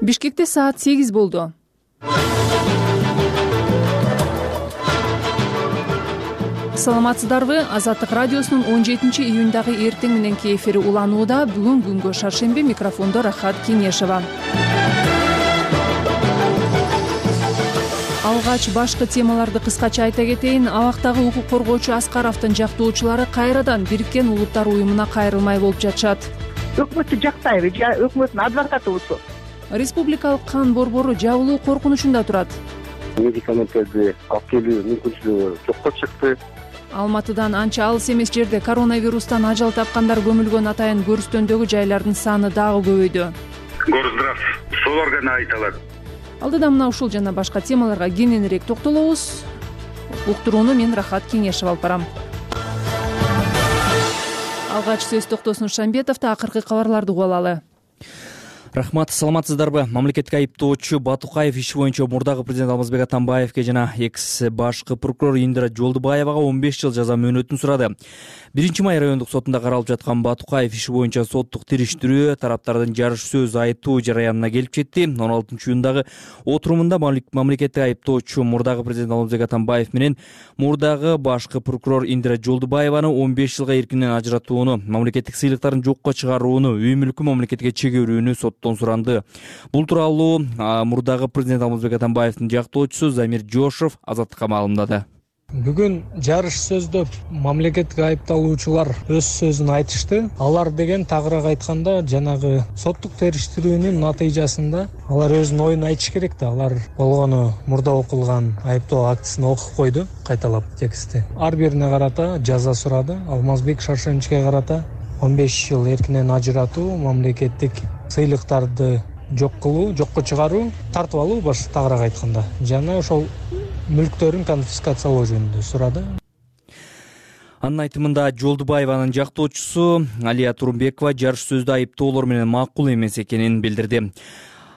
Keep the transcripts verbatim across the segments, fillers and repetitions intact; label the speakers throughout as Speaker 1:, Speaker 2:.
Speaker 1: Бишкекте саат сегиз болду. Саламатсыздарбы? Азаттык радиосунун он жетинчи июндагы эртең мененки эфири уланууда. Бүгүн күнгө шаршемби, микрофондо Рахат Кеңешова. Алгач башкы темаларды кыскача айта кетейин. Абактагы укук коргоочу Аскаровдун жактоочулары кайрадан Бириккен Улуттар уюмуна кайрылмай болуп жатышат.
Speaker 2: Өкмөттү жактайбы, өкмөттүн адвокатыбызбы.
Speaker 1: Республикалык кан борбору жабылуу коркунучунда турат.
Speaker 3: Медикаменттерди алып келүү мүмкүнчүлүгү жокко чыкты.
Speaker 1: Алматыдан анча алыс эмес жерде коронавирустан ажал тапкандар көмүлгөн атайын көрүстөндөгү жайлардын саны дагы көбөйдү.
Speaker 4: Горздрав сол органа айта алат.
Speaker 1: Алдыда мына ушул жана башка темаларга кененирээк токтолобуз. Уктурууну мен Рахат Кеңешев алып барам. Алгач сөз Токтосун Шамбетовду акыркы кабарларды угуп алалы.
Speaker 5: Рахмат, саламатсыздарбы? Мамлекеттик айыптоочу Батукаев иши боюнча мурдагы президент Алмазбек Атамбаевге жана экс башкы прокурор Индира Жолдубаевага он беш жыл жаза мөөнөтүн сурады. биринчи май райондук сотунда каралып жаткан Батукаев иши боюнча соттук териштирүү тараптардын жарыш сөз айтуу жараянына келип жетти. он алтынчы июндагы отурумунда мамлекеттик айыптоочу мурдагы президент Алмазбек Атамбаев менен мурдагы башкы прокурор Индира Жолдубаеваны он беш жылга эркинен ажыратууну, мамлекеттик сыйлыктарын жокко чыгарууну, үй мүлкү мамлекетке чегөрүүнү соттон суранды. Бул тууралуу мурдагы президент Алмазбек Атамбаевдин жактоочусу Замир Жошов Азаттыкка маалымдады.
Speaker 6: Бүгүн жарыш сөздө мамлекеттик айыпталуучулар өз сөзүн айтышты. Алар деген тагыраак айтканда жанагы соттук териштирүүнүн натыйжасында алар өзүнүн оюн айтыш керек да. Алар болгону мурда окулган айыптоо актісин окуп койду, кайталап текстти. Ар бирине карата жаза сурады. Алмазбек Шаршемчиге карата он беш жыл эркинен ажыратуу, мамлекеттик сыйлыктарды жок кылуу, жокко чыгаруу, тартып алуу баш тагыраак айтканда. Жана ошол мүлктөрүн конфискациялоо жөнүндө сурады.
Speaker 5: Анын айтымында Жолдубаеванын жактоочусу Алия Турумбекова жарыш сөздө айыптоолор менен макул эмес экенин билдирди.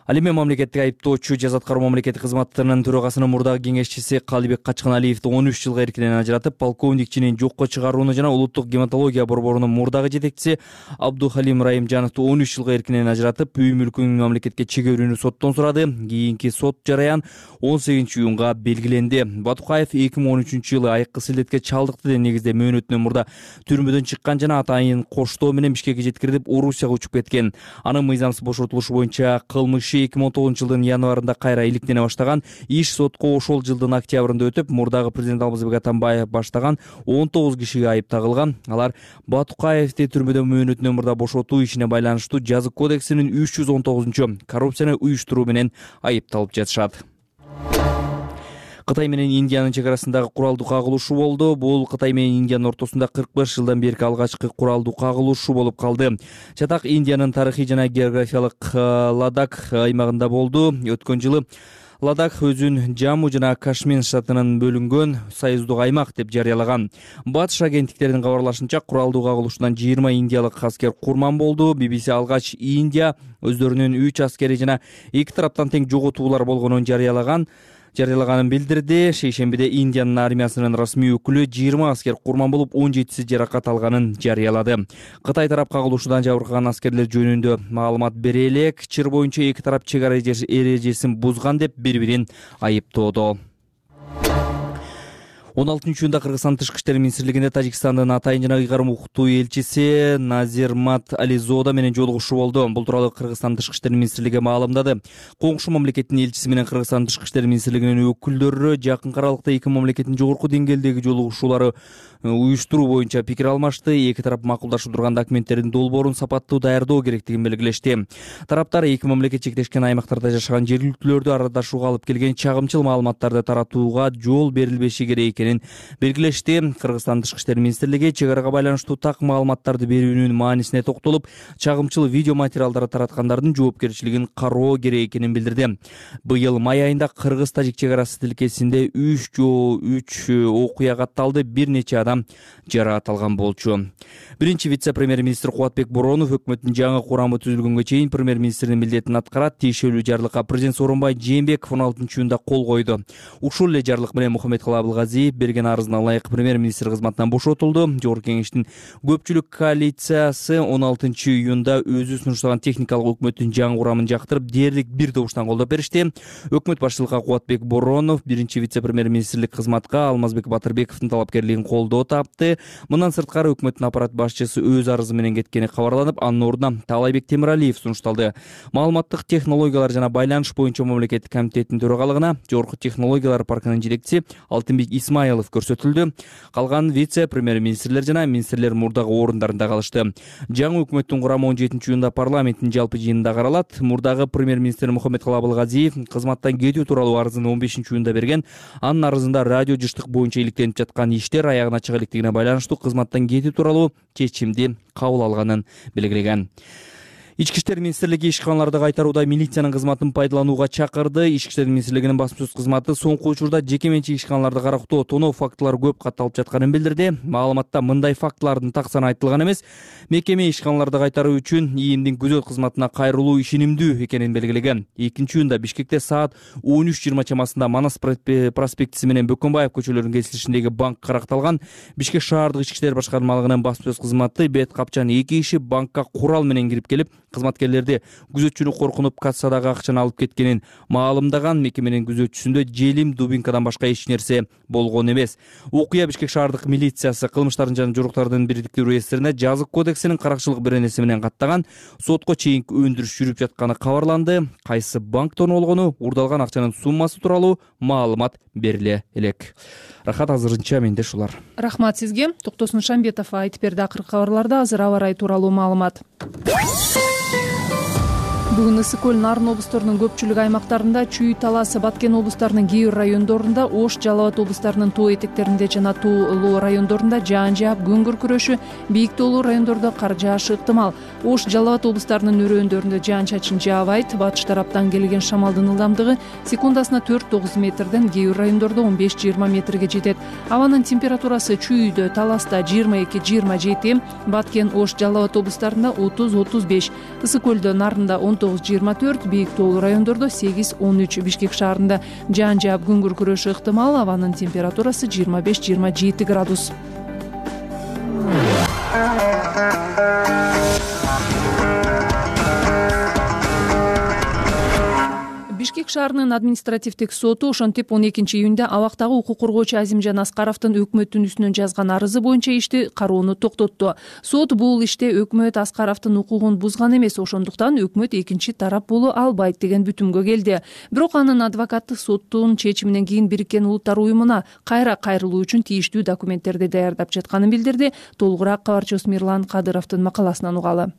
Speaker 5: Ал эми мамлекеттик айыптоочу Жаза аткаруу мамлекеттик кызматтарынын төрагасынын мурдагы кеңешчиси Калыбек Качканалиевди он үч жылга эркинен ажыратып, полковник чинин жокко чыгарууну жана улуттук гематология борборунун мурдагы жетекчиси Абдухалим Райымжановду он үч жылга эркинен ажыратып, үй мүлкүн мамлекетке чегөрүүнү соттон сурады. Кийинки сот жараян он сегизинчи июнга белгиленди. Батукаев эки миң он үчүнчү жылы айыккы силдетке чалдыкты деген негизде мөөнөтүнөн мурда түрмөдөн чыккан жана атайын коштоо менен Бишкекке жеткирилип, Орусияга учуп кеткен. Анын мыйзамсыз бошотулушу боюнча кылмышы эки миң он тогузунчу жылдын январында кайра иликтене баштаган. Иш сотко ошол жылдын октябрында өтүп, мурдагы президент Алмазбек Атамбаев баштаган он тогуз кишиге айып тагылган. Алар Батукаевди түрмөдөн мөөнөтүнөн мурда бошотуу ишине байланыштуу жазык кодексинин үч жүз он тогузунчу коррупцияны уюштуруу менен айыпталып жатышат. Кытай менен Индиянын чек арасындагы куралдуу кагылышуу болду. Бул Кытай менен Индиянын ортосунда кырк беш жылдан берки алгачкы куралдуу кагылышуу болуп калды. Чатак Индиянын тарыхый жана географиялык Ладак аймагында болду. Өткөн жылы Ладак өзүн Жамму жана Кашмир штатынан бөлүнгөн союздук аймак деп жарыялаган. Батыш агенттиктеринин кабарлашынча, куралдуу кагылышуудан жыйырма индиялык аскер курман болду. би би си алгач Индия өздөрүнүн үч аскери жана эки тараптан тең жоготуулар болгонун жарыялаган. жарыялаганын билдирди. Шейшембиде Индиянын армиясынын расмий өкүлү жыйырма аскер курман болуп, он жетиси жаракат алганын жарыялады. Кытай тарап кагылышуудан жабыркаган аскерлер жөнүндө маалымат бере элек. Чыр боюнча эки тарап чек ара эрежесин бузган деп бири-бирин айыптоодо. он алтынчы июнда Кыргызстан Тышкы иштер министрлигинде Тажикстандын атайын жана ыйгарым укуктуу элчиси Назирмат Ализода менен жолугушуу болду. Бул тууралуу Кыргызстан Тышкы иштер министрлиги маалымдады. Коңшу мамлекеттин элчиси менен Кыргызстан Тышкы иштер министрлигинин өкүлдөрү жакын аралыкта эки мамлекеттин жогорку деңгээлдеги жолугушуулары уюштуруу боюнча пикир алмашты. Эки тарап макулдашып турган документтердин долбоорун сапаттуу даярдоо керектигин белгилешти. Тараптар эки мамлекет чектешкен аймактарда жашаган жергиликтүүлөрдү арадашууга алып келген чагымчыл маалыматтарды таратууга жол берилбеши керек экенин белгилешти. Кыргызстан Тышкы иштер министрлиги чек арага байланыштуу так маалыматтарды берүүнүн маанисине токтолуп, чагымчыл видео материалдарды тараткандардын жоопкерчилигин кароо керек экенин билдирди. Быйыл май айында Кыргыз-Тажик чек арасы тилкесинде үч жоо үч окуя катталды. Бир нече адам жараат алган болчу. Биринчи вице-премьер-министр Кубатбек Боронов өкмөттүн жаңы курамы түзүлгөнгө чейин премьер-министрдин милдетин аткарат. Тиешелүү жарлыкка президент Сооронбай Жээнбеков он алтынчы июнда кол койду. Ушул эле жарлык менен Мухаммед Калай Абылгазиев Алиев берген арызына ылайык премьер-министр кызматынан бошотулду. Жогорку кеңештин көпчүлүк коалициясы он алтынчы июнда өзү сунуштаган техникалык өкмөттүн жаңы курамын жактырып, дээрлик бир добуштан колдоп беришти. Өкмөт башчылыкка Кубатбек Боронов биринчи вице-премьер-министрлик кызматка Алмазбек Батырбековдун талапкерлигин колдоо тапты. Мындан сырткары өкмөттүн аппарат башчысы өз арызы менен кеткени кабарланып, анын ордуна Таалайбек Темиралиев сунушталды. Маалыматтык технологиялар жана байланыш боюнча мамлекеттик комитеттин төрагалыгына Жогорку технологиялар паркынын жетекчиси Алтынбек Исмаилов көрсөтүлдү. Калган вице-премьер-министрлер жана министрлер мурдагы орундарында калышты. Жаңы өкмөттүн курамы он жетинчи июнда парламенттин жалпы жыйынында каралат. Мурдагы премьер-министр Мухаммедкалый Абылгазиев кызматтан кетүү тууралуу арызын он бешинчи июнда берген. Анын арызында радио жыштык боюнча иликтенип жаткан иштер аягына чыга электигине байланыштуу кызматтан кетүү тууралуу чечимди кабыл алганын белгилеген. Ички иштер министрлиги ишканаларды кайтарууда милициянын кызматын пайдаланууга чакырды. Ички иштер министрлигинин басма сөз кызматы соңку учурда жеке менчик ишканаларды карактоо, тоноо фактылары көп катталып жатканын билдирди. Маалыматта мындай фактылардын так саны айтылган эмес. Мекеме ишканаларды кайтаруу үчүн ИИМдин күзөт кызматына кайрылуу ишенимдүү экенин белгилеген. экинчи июнда Бишкекте саат он үч жыйырма чамасында Манас проспектиси менен Бөкөнбаев көчөлөрүнүн кесилишиндеги банк каракталган. Бишкек шаардык ички иштер башкармалыгынын басма сөз кызматы бет капчан эки киши банкка курал менен кирип келип, кызматкерлерди күзөтчүнү коркунуп кассадагы акчаны алып кеткенин маалымдаган. Мекеменин күзөтчүсүндө желим, дубинкадан башка эч нерсе болгон эмес. Окуя Бишкек шаардык милициясы кылмыштардын жана жоруктардын бирдиктүү реестрине жазык кодексинин каракчылык беренеси менен каттаган. Сотко чейинки өндүрүш жүрүп жатканы кабарланды. Кайсы банктон болгону, уурдалган акчанын суммасы тууралуу маалымат бериле элек. Рахат, азырынча менде ушулар.
Speaker 1: Рахмат сизге. Токтосун Шамбетов айтып берди. Акыркы кабарларда азыр аба ырайы тууралуу маалымат. Бүгүн ысык көл, Нарын облусторунун көпчүлүк аймактарында, Чүй, Талас, Баткен облустарынын кээ бир райондорунда, Ош, Жалал Абад облустарынын тоо этектеринде жана тоолуу райондорунда жаан жаап, күн күркүрөшү, бийик тоолуу райондордо кар жаашы ыктымал. Ош, Жалал Абад облустарынын өрөөндөрүндө жаан-чачын жаабайт. Батыш тараптан келген шамалдын ылдамдыгы секундасына төрт тогуз метрден, кээ бир райондордо он беш жыйырма метрге жетет. Абанын температурасы Чүйдө, Таласта жыйырма эки жыйырма жети, Баткен, Ош, Жалал Абад облустарында отуз отуз беш, ысык көлдө, Нарында он тогуз жыйырма төрт, бийик тоолуу райондордо сегиз он үч. Бишкек шаарында жаан жаап, күн күркүрөшү ыктымал. Абанын температурасы жыйырма беш жыйырма жети градус. Бишкек шаарынын административдик соту ошентип он экинчи июнда абактагы укук коргоочу Азимжан Аскаровдун өкмөттүн үстүнөн жазган арызы боюнча ишти кароону токтотту. Сот бул иште өкмөт Аскаровдун укугун бузган эмес, ошондуктан өкмөт экинчи тарап боло албайт деген бүтүмгө келди. Бирок анын адвокаты соттун чечиминен кийин Бириккен Улуттар уюмуна кайра кайрылуу үчүн тийиштүү документтерди даярдап жатканын билдирди. Толугураак кабарчыбыз Мирлан Кадыровдун макаласынан угалы.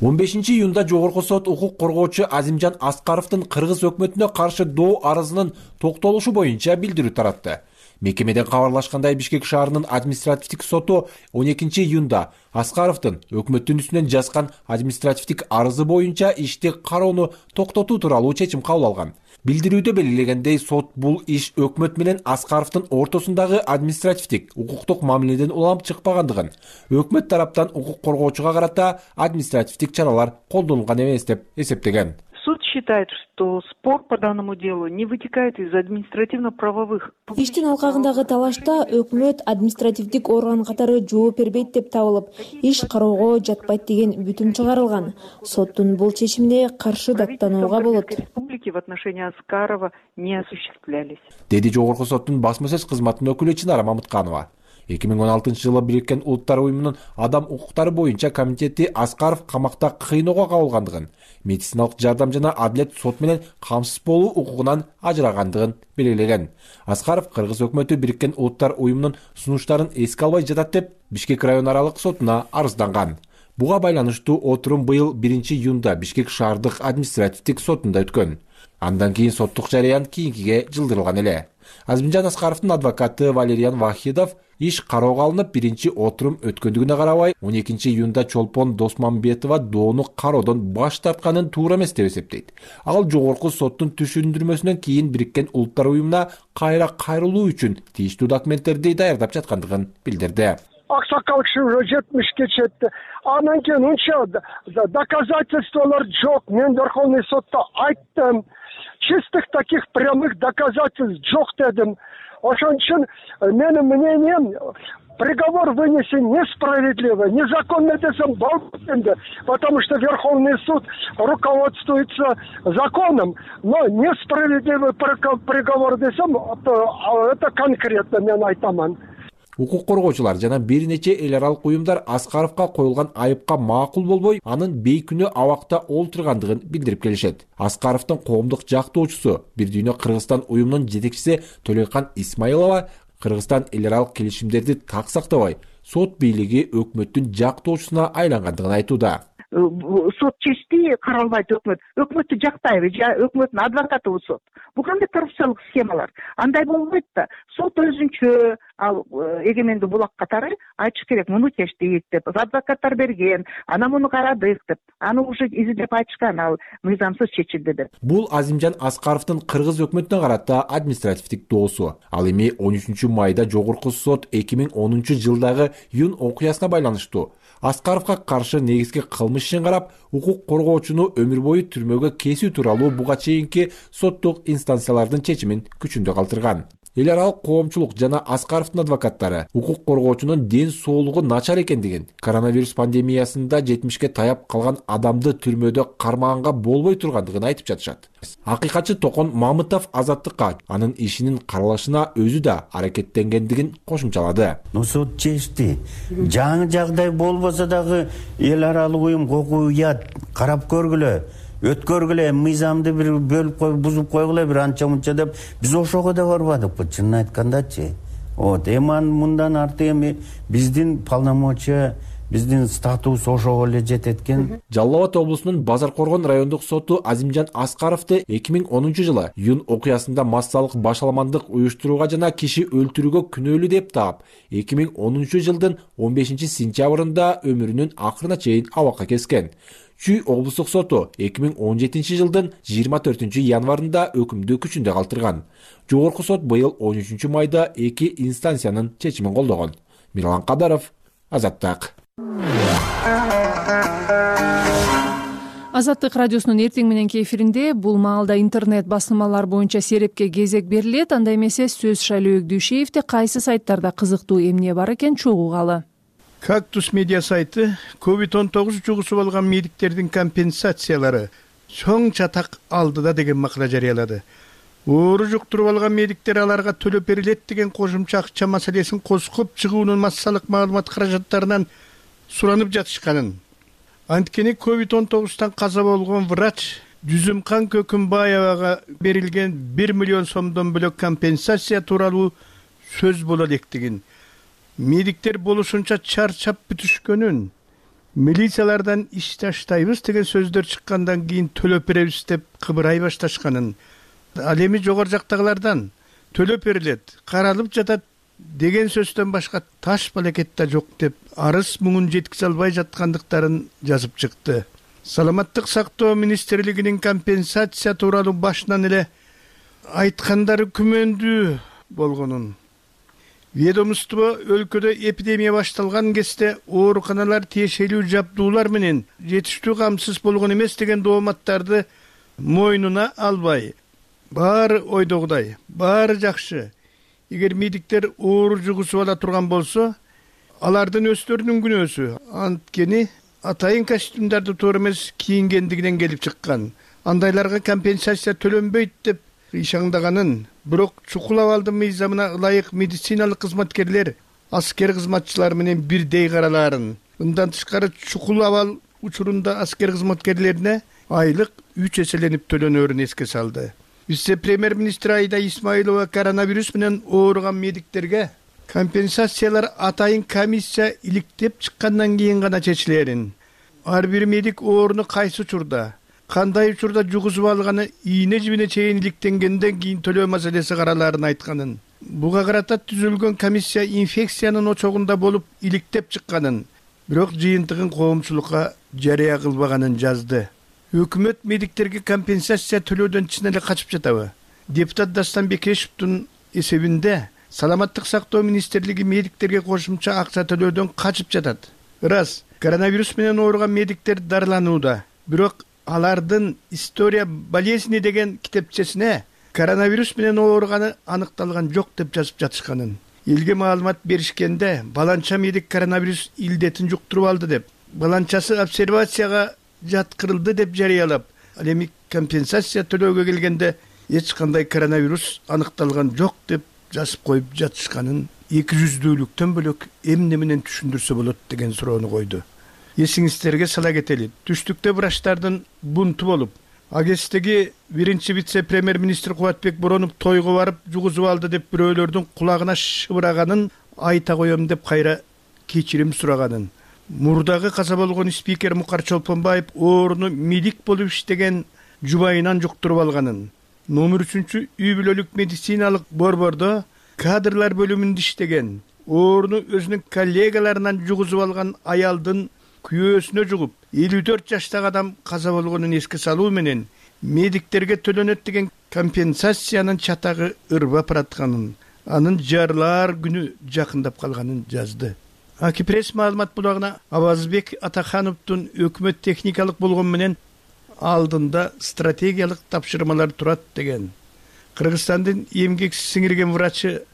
Speaker 7: он бешинчи июнда Жогорку сот укук коргоочу Азимжан Аскаровдун кыргыз өкмөтүнө каршы доо арызынын токтолушу боюнча билдирүү таратты. Мекемеден кабарлашкандай, Бишкек шаарынын административдик соту он экинчи июнда Аскаровдун өкмөттүн үстүнөн жазган административдик арызы боюнча ишти кароону токтотуу тууралуу чечим кабыл алган. Билдирүүдө белгилегендей, сот бул иш өкмөт менен Аскаровдун ортосундагы административдик, укуктук мамиледен улам чыкпагандыгын, өкмөт тараптан укук коргоочуга карата административдик чаралар колдонулган эмес деп эсептеген.
Speaker 2: Суд считает, что спор по данному делу не вытекает из административно-правовых.
Speaker 8: Иштин алкагындагы талашта өкмөт административдик орган катары жооп бербейт деп табылып, иш кароого жатпайт деген бүтүм чыгарылган. Соттун бул чечимине каршы даттанууга болот.
Speaker 2: Республики в отношении Аскарова не осуществлялись.
Speaker 7: Деди Жогорку соттун басма сөз кызматынын өкүлү Чынара Мамытканова. эки миң он алтынчы жылы Бириккен Улуттар уюмунун адам укуктары боюнча комитети Аскаров камакта кыйноого кабылгандыгын, медициналык жардам жана адилет сот менен камсыз болуу укугунан ажырагандыгын белгилеген. Аскаров кыргыз өкмөтү Бириккен Улуттар уюмунун сунуштарын эске албай жатат деп Бишкек район аралык сотуна арызданган. Буга байланыштуу отурум быйыл биринчи июнда Бишкек шаардык административдик сотунда өткөн. Андан кийин соттук жарыян кийинкиге жылдырылган эле. Азимжан Аскаровдун адвокаты Валериан Вахидов иш кароого алынып, биринчи отурум өткөндүгүнө карабай, он экинчи июнда Чолпон Досмамбетова доону кароодон баш тартканын туура эмес деп эсептейт. Ал жогорку соттун түшүндүрмөсүнөн кийин Бириккен Улуттар уюмуна кайра кайрылуу үчүн тийиштүү документтерди даярдап жаткандыгын билдирди.
Speaker 9: Аксакал киши уже жетимишке жетти. Анан кийин унча доказательстволор жок. Мен Верховный сотто айттым. Чистых таких прямых доказательств жок дедим. ошон үчүн менин мнением, приговор вынесен несправедливо, незаконно десем болбойт энди, потому что Верховный суд руководствуется законом, но несправедливый приговор десем, это конкретно мен айтаман.
Speaker 7: Укук коргоочулар жана бир нече эл аралык уюмдар Аскаровго коюлган айыпка макул болбой, анын бейкүнөө абакта олтургандыгын билдирип келишет. Аскаровдун коомдук жактоочусу Бир Дүйнө Кыргызстан уюмунун жетекчиси Төлөйкан Исмаилова Кыргызстан эл аралык келишимдерди так сактабай, сот бийлиги өкмөттүн жактоочусуна айлангандыгын айтууда.
Speaker 2: Сот чечти, каралбайт өкмөт. Өкмөттү жактайбы, же өкмөттүн адвокатыбы сот. Бул кандай коррупциялык схемалар? Андай болбойт да. Сот өзүнчө ал эгемендүү булак катары айтыш керек, муну чечтик деп, адвокаттар берген, ана муну карадык деп, аны уже изилдеп айтышкан, ал мыйзамсыз чечилди деп.
Speaker 7: Бул Азимжан Аскаровдун кыргыз өкмөтүнө карата административдик доосу. Ал эми он үчүнчү майда жогорку сот эки миң онунчу жылдагы июнь окуясына байланыштуу Аскаровго каршы негизги кылмыш ишин карап, укук коргоочуну өмүр бою түрмөгө кесүү тууралуу буга чейинки соттук инстанциялардын чечимин күчүндө калтырган. Эл аралык коомчулук жана Аскаровдун адвокаттары укук коргоочунун ден соолугу начар экендигин, коронавирус пандемиясында жетимишке таяп калган адамды түрмөдө кармаганга болбой тургандыгын айтып жатышат. Акыйкатчы Токон Мамытов Азаттыкка анын ишинин каралышына өзү да аракеттенгендигин кошумчалады.
Speaker 10: Сот чечти. Жаңы жагдай болбосо дагы эл аралык уюм кокуят карап көргүлө. Өткөргүлө, мыйзамды бир бөлүп коюп, бузуп койгула бир анча мынча деп, биз ошого да барбадыкпы, чынын айткандачы. Вот, эми мындан арты эми биздин полномочия, биздин статус ошого эле жетет экен.
Speaker 7: Жалал Абад облусунун Базар Коргон райондук соту Азимжан Аскаровду эки миң онунчу жылы июнь окуясында массалык башаламандык уюштурууга жана киши өлтүрүүгө күнөөлүү деп таап, эки миң онунчу жылдын он бешинчи сентябрында өмүрүнүн акырына чейин абакка кескен. Чүй облустук соту эки миң он жетинчи жылдын жыйырма төртүнчү январында өкүмдү күчүндө калтырган. Жогорку сот быйыл он үчүнчү майда эки инстанциянын чечимин колдогон. Мирлан Кадаров, Азаттык.
Speaker 1: Азаттык радиосунун эртең мененки эфиринде бул маалда интернет басылмалар боюнча серепке кезек берилет. Анда эмесе сөз Шайлообек Дүйшеевде кайсы сайттарда кызыктуу эмне бар экен чогуугалы.
Speaker 11: Кактус медиа сайты ковид он тогуз жугусуп алган медиктердин компенсациялары чоң чатак алдыда деген макала жарыялады. Оору жуктуруп алган медиктер аларга төлөп берилет деген кошумча акча маселесин козгоп чыгуунун массалык маалымат каражаттарынан суранып жатышканын. Анткени ковид он тогуздан каза болгон врач Жүзүмкан Көкүмбаевага берилген бир миллион сомдон бөлөк компенсация тууралуу сөз боло электигин, медиктер болушунча чарчап бүтүшкөнүн, милициялардан иш таштайбыз деген сөздөр чыккандан кийин төлөп беребиз деп кыбырай башташканын, ал эми жогору жактагылардан төлөп берилет, каралып жатат деген сөздөн башка таш балекет да жок деп арыз муңун жеткизе албай жаткандыктарын жазып чыкты. Саламаттык сактоо министрлигинин компенсация тууралуу башынан эле айткандары күмөндүү болгонун, ведомство өлкөдө эпидемия башталган кезде ооруканалар тиешелүү жабдуулар менен жетиштүү камсыз болгон эмес деген дооматтарды мойнуна албай, баары ойдогудай, баары жакшы. Эгер медиктер оору жугусуп ала турган болсо, алардын өздөрүнүн күнөөсү. Анткени атайын костюмдарды туура эмес кийингендигинен келип чыккан. Андайларга компенсация төлөнбөйт деп ишандаганын, бирок чукул абалдын мыйзамына ылайык медициналык кызматкерлер аскер кызматчылар менен бирдей каралаарын. Мындан тышкары чукул абал учурунда аскер кызматкерлерине айлык үч эселенип төлөнөрүн эске салды. Вице-премьер-министр Айда Исмаилова коронавирус менен ооруган медиктерге компенсациялар атайын комиссия иликтеп чыккандан кийин гана чечилерин, ар бир медик ооруну кайсы учурда, кандай учурда жугузуп алганы ийне жибине чейин иликтенгенден кийин төлөө маселеси каралаарын айтканын, буга карата түзүлгөн комиссия инфекциянын очогунда болуп иликтеп чыкканын, бирок жыйынтыгын коомчулукка жарыя кылбаганын жазды. Өкмөт медиктерге компенсация төлөөдөн чын эле качып жатабы? Депутат Дастан Бекешевдин эсебинде Саламаттык сактоо министрлиги медиктерге кошумча акча төлөөдөн качып жатат. Рас, коронавирус менен ооруган медиктер дарыланууда, бирок алардын история болезни деген китепчесине коронавирус менен ооруганы аныкталган жок деп жазып жатышканын, элге маалымат беришкенде баланча медик коронавирус илдетин жуктуруп алды деп, баланчасы обсервацияга жаткырылды деп жарыялап, ал эми компенсация төлөөгө келгенде эч кандай коронавирус аныкталган жок деп жазып коюп жатышканын эки жүздүүлүктөн бөлөк эмне менен түшүндүрсө болот деген суроону койду. Эсиңиздерге сала кетели, түштүктө врачтардын бунту болуп, агестеги биринчи вице-премьер-министр Кубатбек Боронов тойго барып жугузуп алды деп бирөөлөрдүн кулагына шыбыраганын айта коем деп кайра кечирим сураганын, мурдагы каза болгон спикер Мукар Чолпонбаев ооруну медик болуп иштеген жубайынан жуктуруп алганын, номер үчүнчү үй бүлөлүк медициналык борбордо кадрлар бөлүмүндө иштеген, ооруну өзүнүн коллегаларынан жугузуп алган аялдын күйөөсүнө жугуп, элүү төрт жаштагы адам каза болгонун эске салуу менен медиктерге төлөнөт деген компенсациянын чатагы ырбап баратканын, анын жарылаар күнү жакындап калганын жазды. Аки пресс маалымат булагына Абазбек Атахановдун өкмөт техникалык болгон менен алдында стратегиялык тапшырмалар турат деген. Кыргызстандын эмгек сиңирген врачы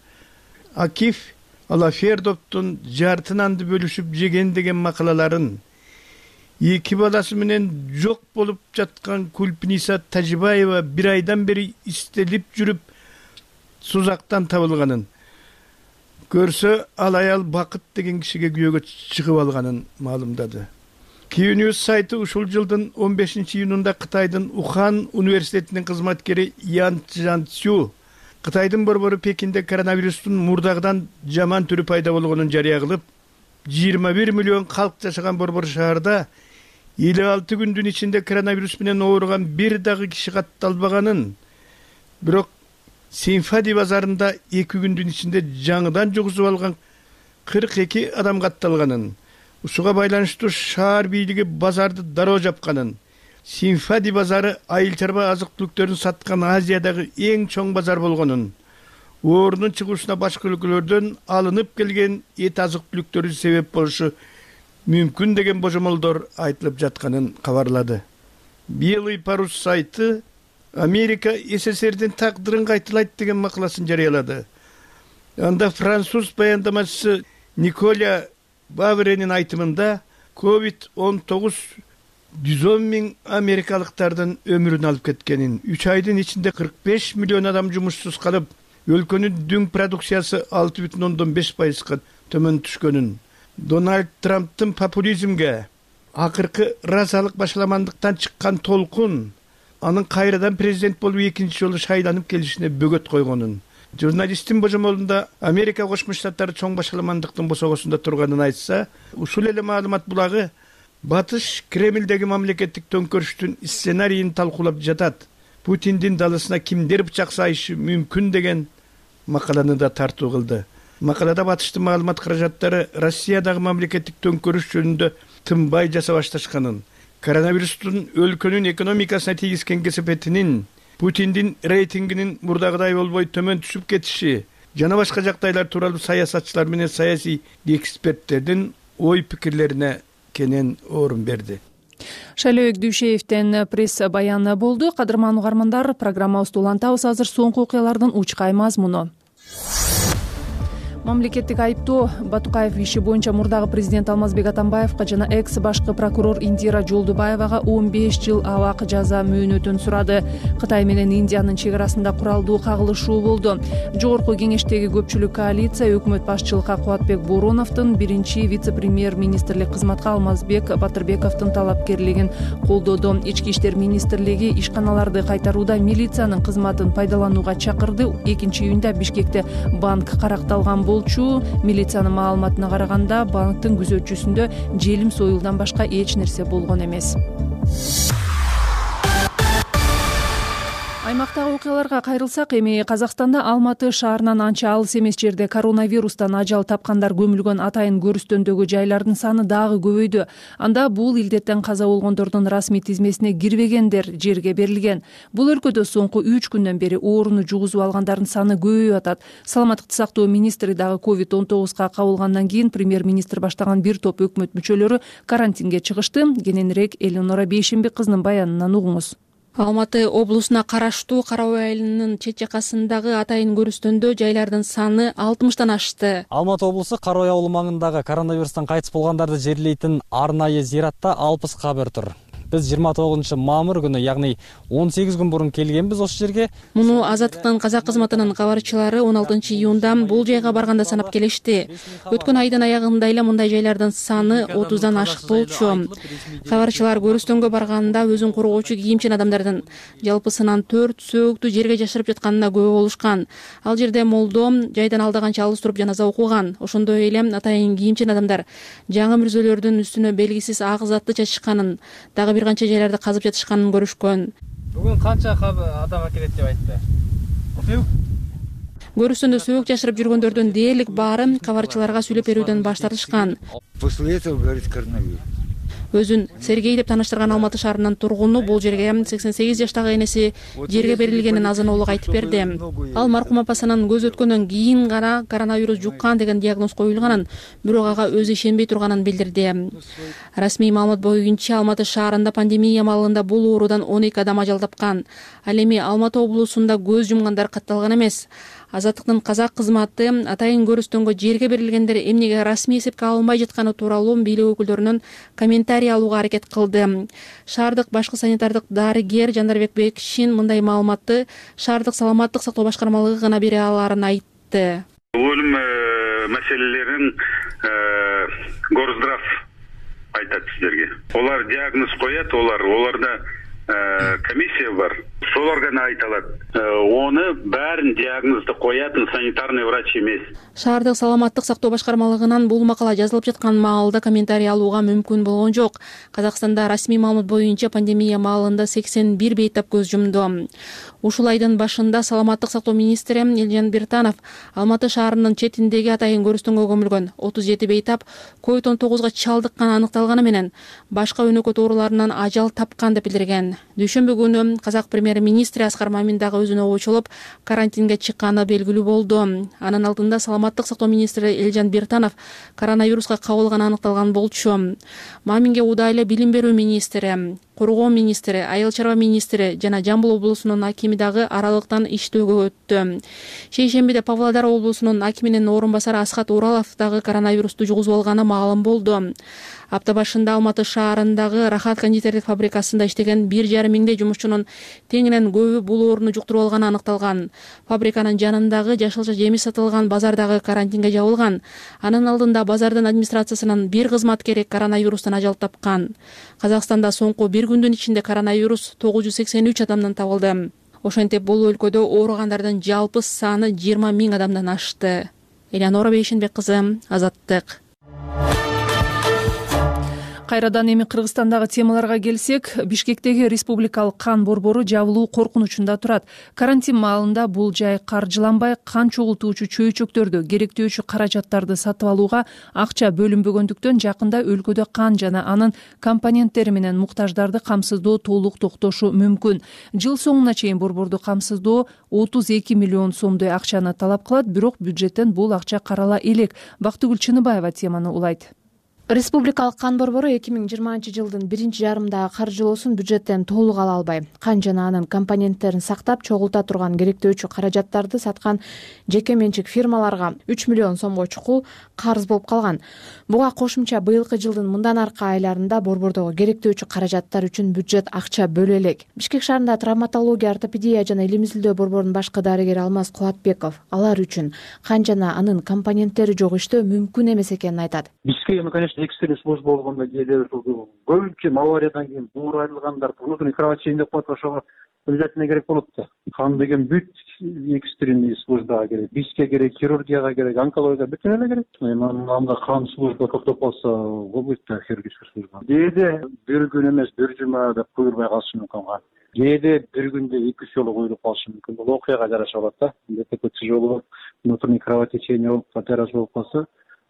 Speaker 11: Акиф Алафердовдун жартынанды бөлүшүп жеген деген макалаларын, эки баласы менен жок болуп жаткан Кульпниса Тажибаева бир айдан бери истелип жүрүп сузактан табылганын, көрсө ал аял Бакыт деген кишиге күйөөгө чыгып алганын маалымдады. Киюньюз сайты ушул жылдын он бешинчи июнунда Кытайдын Ухан университетинин кызматкери Ян Чжанцю Кытайдын борбору Пекинде коронавирустун мурдагыдан жаман түрү пайда болгонун жарыя кылып, жыйырма бир миллион калк жашаган борбор шаарда элүү алты күндүн ичинде коронавирус менен ооруган бир дагы киши катталбаганын, бирок Синфади базарында эки күндүн ичинде жаңыдан жугузуп алган кырк эки адам катталганын, ушуга байланыштуу шаар бийлиги базарды дароо жапканын, Синфади базары айыл чарба азык түлүктөрүн саткан Азиядагы эң чоң базар болгонун, оорунун чыгуусуна башка өлкөлөрдөн алынып келген эт азык түлүктөрү себеп болушу мүмкүн деген божомолдор айтылып жатканын кабарлады. Белый парус сайты Америка СССРдин тагдырын кайталайт деген макаласын жарыялады. Анда француз баяндамачысы Николя Бавренин айтымында ковид он тогуз жүз он миң америкалыктардын өмүрүн алып кеткенин, үч айдын ичинде кырк беш миллион адам жумушсуз калып, өлкөнүн дүң продукциясы алты бүтүн ондон беш пайызга төмөн түшкөнүн, Дональд Трамптын популизмге, акыркы разалык башаламандыктан чыккан толкун анын кайрадан президент болуп экинчи жолу шайланып келишине бөгөт койгонун, журналисттин божомолунда Америка Кошмо Штаттары чоң башаламандыктын босогосунда турганын айтса, ушул эле маалымат булагы Батыш Кремлдеги мамлекеттик төңкөрүштүн сценарийин талкуулап жатат. Путиндин далысына кимдер бычак сайышы мүмкүн деген макаланы да тартуу кылды. Макалада Батыштын маалымат каражаттары Россиядагы мамлекеттик төңкөрүш жөнүндө тынбай жаса башташканын, коронавирустун өлкөнүн экономикасына тийгизген кесепетинин, Путиндин рейтингинин мурдагыдай болбой төмөн түшүп кетиши жана башка жагдайлар тууралуу саясатчылар менен саясий эксперттердин ой пикирлерине кенен орун берди.
Speaker 1: Шайлообек Дүйшеевден пресс баяны болду. Кадырман угармандар, программабызды улантабыз. Азыр соңку окуялардын учкай мазмуну. Мамлекеттик айыптоо Батукаев иши боюнча мурдагы президент Алмазбек Атамбаевга жана экс башкы прокурор Индира Жолдубаевага он беш жыл абак жаза мөөнөтүн сурады. Кытай менен Индиянын чек арасында куралдуу кагылышуу болду. Жогорку кеңештеги көпчүлүк коалиция өкмөт башчылыкка Кубатбек Бороновдун биринчи вице-премьер-министрлик кызматка Алмазбек Батырбековдун талапкерлигин колдоду. Ички иштер министрлиги ишканаларды кайтарууда милициянын кызматын пайдаланууга чакырды. экинчи июнда Бишкекте банк каракталган болчу. Милициянын маалыматына караганда, банктын күзөтчүсүндө желим союлдан башка эч нерсе болгон эмес. Аймактагы окуяларга кайрылсак, эми Казакстанда Алматы шаарынан анча алыс эмес жерде коронавирустан ажал тапкандар көмүлгөн атайын көрүстөндөгү жайлардын саны дагы көбөйдү. Анда бул илдеттен каза болгондордун расмий тизмесине кирбегендер жерге берилген. Бул өлкөдө соңку үч күндөн бери ооруну жугузуп алгандардын саны көбөйүп атат. Саламаттыкты сактоо министри дагы ковид он тогузга кабылгандан кийин премьер-министр баштаган бир топ өкмөт мүчөлөрү карантинге чыгышты. Кененирээк Элеонора Бейшембек кызынын баянынан угуңуз.
Speaker 12: Алматы облусуна караштуу Кара Ой айылынын чет жакасындагы Атайын Көрүстөндө жайлардын саны алтымыштан ашты.
Speaker 13: Алматы облусу Кара Ой ауылу маңындагы коронавирустан кайтыс болгондарды жерлейтин арнайы зиратта алпыс кабыр тур. Биз жыйырма тогузунчу мамыр күнү, ягни он сегиз күн мурун келгенбиз ошол жерге.
Speaker 12: Муну Азаттыктын казак кызматынын кабарчылары он алтынчы июнда бул жайга барганда санап келишти. Өткөн айдын аягында эле мындай жайлардын саны отуздан ашык болчу. Кабарчылар Көрүстөнгө барганда өзүн коргоочу кийимчен адамдардын жалпысынан төрт сөөктү жерге жашырып жатканына күбө болушкан. Ал жерде молдом жайдан алдаганча алыс туруп жаназа окуган. Ошондой эле атайын кийимчен адамдар жаңы мүрзөлөрдүн үстүнө белгисиз ак затты чачышканын, дагы бир канча жайларда казып жатышканын көрүшкөн.
Speaker 13: Бүгүн канча адам акелет деп айтты?
Speaker 12: Көрүстөндө сөөк жашырып жүргөндөрдүн дээрлик баары кабарчыларга сүйлөп берүүдөн баш тартышкан.
Speaker 14: После этого говорит коронавирус.
Speaker 12: Өзүн Сергей деп тааныштырган Алматы шаарынын тургуну бул жерге сексен сегиз жаштагы энеси жерге берилгенин азын-оолук айтып берди. Ал маркум апасынын көз өткөндөн кийин гана коронавирус жуккан деген диагноз коюлганын, бирок ага өзү ишенбей турганын билдирди. Расмий маалымат боюнча Алматы шаарында пандемия маалында бул оорудан он эки адам ажал тапкан. Ал эми Алматы облусунда көз жумгандар катталган эмес. Азаттыктын казак кызматы Атайын Көрүстөнгө жерге берилгендер эмнеге расмий эсепке алынбай жатканы тууралуу бийлик өкүлдөрүнөн комментарий алууга аракет кылды. Шаардык башкы санитардык дарыгер Жандарбек Бекшин мындай маалыматты шаардык саламаттык сактоо башкармалыгы гана бере аларын айтты.
Speaker 4: Өлүм маселелерин Горздрав айтат сиздерге. Олар диагноз коет, олар оларда комиссия бар. Солар гана айта алат. Оны баарын диагнозду коятын санитарный врач эмес.
Speaker 12: Шаардык саламаттык сактоо башкармалыгынан бул макала жазылып жаткан маалда комментарий алууга мүмкүн болгон жок. Казакстанда расмий маалымат боюнча пандемия маалында сексен бир бейтап көз жумду. Ушул айдын башында саламаттык сактоо министри Элжан Биртанов Алматы шаарынын четиндеги Атайын Көрүстөнгө көмүлгөн отуз жети бейтап ковид он тогузга чалдыкканы аныкталганы менен башка өнөкөт ооруларынан ажал тапкан деп билдирген. Дүйшөмбү күнү казак премьер-министри Аскар Мамин дагы өзүнө очолуп карантинге чыкканы белгилүү болду. Анын алдында саламаттык сактоо министри Элжан Биртанов коронавируска кабылганы аныкталган болчу. Маминге удай эле билим берүү министри, коргоо министри, айыл чарба министри жана Жамбыл облусунун акими дагы аралыктан иштөөгө өттү. Шейшембиде Павлодар облусунун акиминин орун басары Асхат Уралов дагы коронавирусту жугузуп алганы маалым болду. Апта башында Алматы шаарындагы Рахат кондитерлик фабрикасында иштеген бир жарым миңдей жумушчунун теңинен көбү бул ооруну жуктуруп алганы аныкталган. Фабриканын жанындагы жашылча жемиш сатылган базардагы карантинге жабылган. Анын алдында базардын администрациясынын бир кызматкери коронавирустан ажал тапкан. Казакстанда соңку бир күндүн ичинде коронавирус тогуз жүз сексен үч адамдан табылды. Ошентип бул өлкөдө ооругандардын жалпы саны жыйырма миң адамдан ашты. Элянора Бейшенбек кызы, Азаттык.
Speaker 1: Кайрадан эми Кыргызстандагы темаларга келсек, Бишкектеги республикалык кан борбору жабылуу коркунучунда турат. Карантин маалында бул жай каржыланбай, кан чогултуучу чөйчөктөрдү, керектөөчү каражаттарды сатып алууга акча бөлүнбөгөндүктөн жакында өлкөдө кан жана анын компоненттери менен муктаждарды камсыздоо толук токтошу мүмкүн. Жыл соңуна чейин борборду камсыздоо отуз эки миллион сомдой акчаны талап кылат, бирок бюджеттен бул акча карала элек. Бактыгүл Чыныбаева теманы улайт.
Speaker 8: Республикалык кан борбору эки миң жыйырманчы жылдын биринчи жарымдагы каржылоосун бюджеттен толук ала албай, кан жана анын компоненттерин сактап чогулта турган керектөөчү каражаттарды саткан жеке менчик фирмаларга үч миллион сомго чукул карыз болуп калган. Буга кошумча быйылкы жылдын мындан аркы айларында борбордогу керектөөчү каражаттар үчүн бюджет акча бөлө элек. Бишкек шаарында травматология, ортопедия жана илим-изилдөө борборунун башкы дарыгери Алмаз Кулатбеков алар үчүн кан жана анын компоненттери жок иштөө мүмкүн эмес экенин айтат.
Speaker 15: Экстренный служба болгондо кээде көбүнчө авариядан кийин буур айрылгандар внутренний кровотечение деп коет, ошого обязательно керек болот да. Кан деген бүт экстренный службага керек, бизге керек, хирургияга керек, онкологияга бүтүн эле керек. Анда кан служба токтоп калса, болбойт да хирургический служба. Кээде бир күн эмес, бир жума деп куюлбай калышы мүмкүн кан. Кээде бир күндө эки үч жолу куюлуп калышы мүмкүн. Бул окуяга жараша болот да. ДТП жолу внутренний кровотечение болуп, операция болуп калса,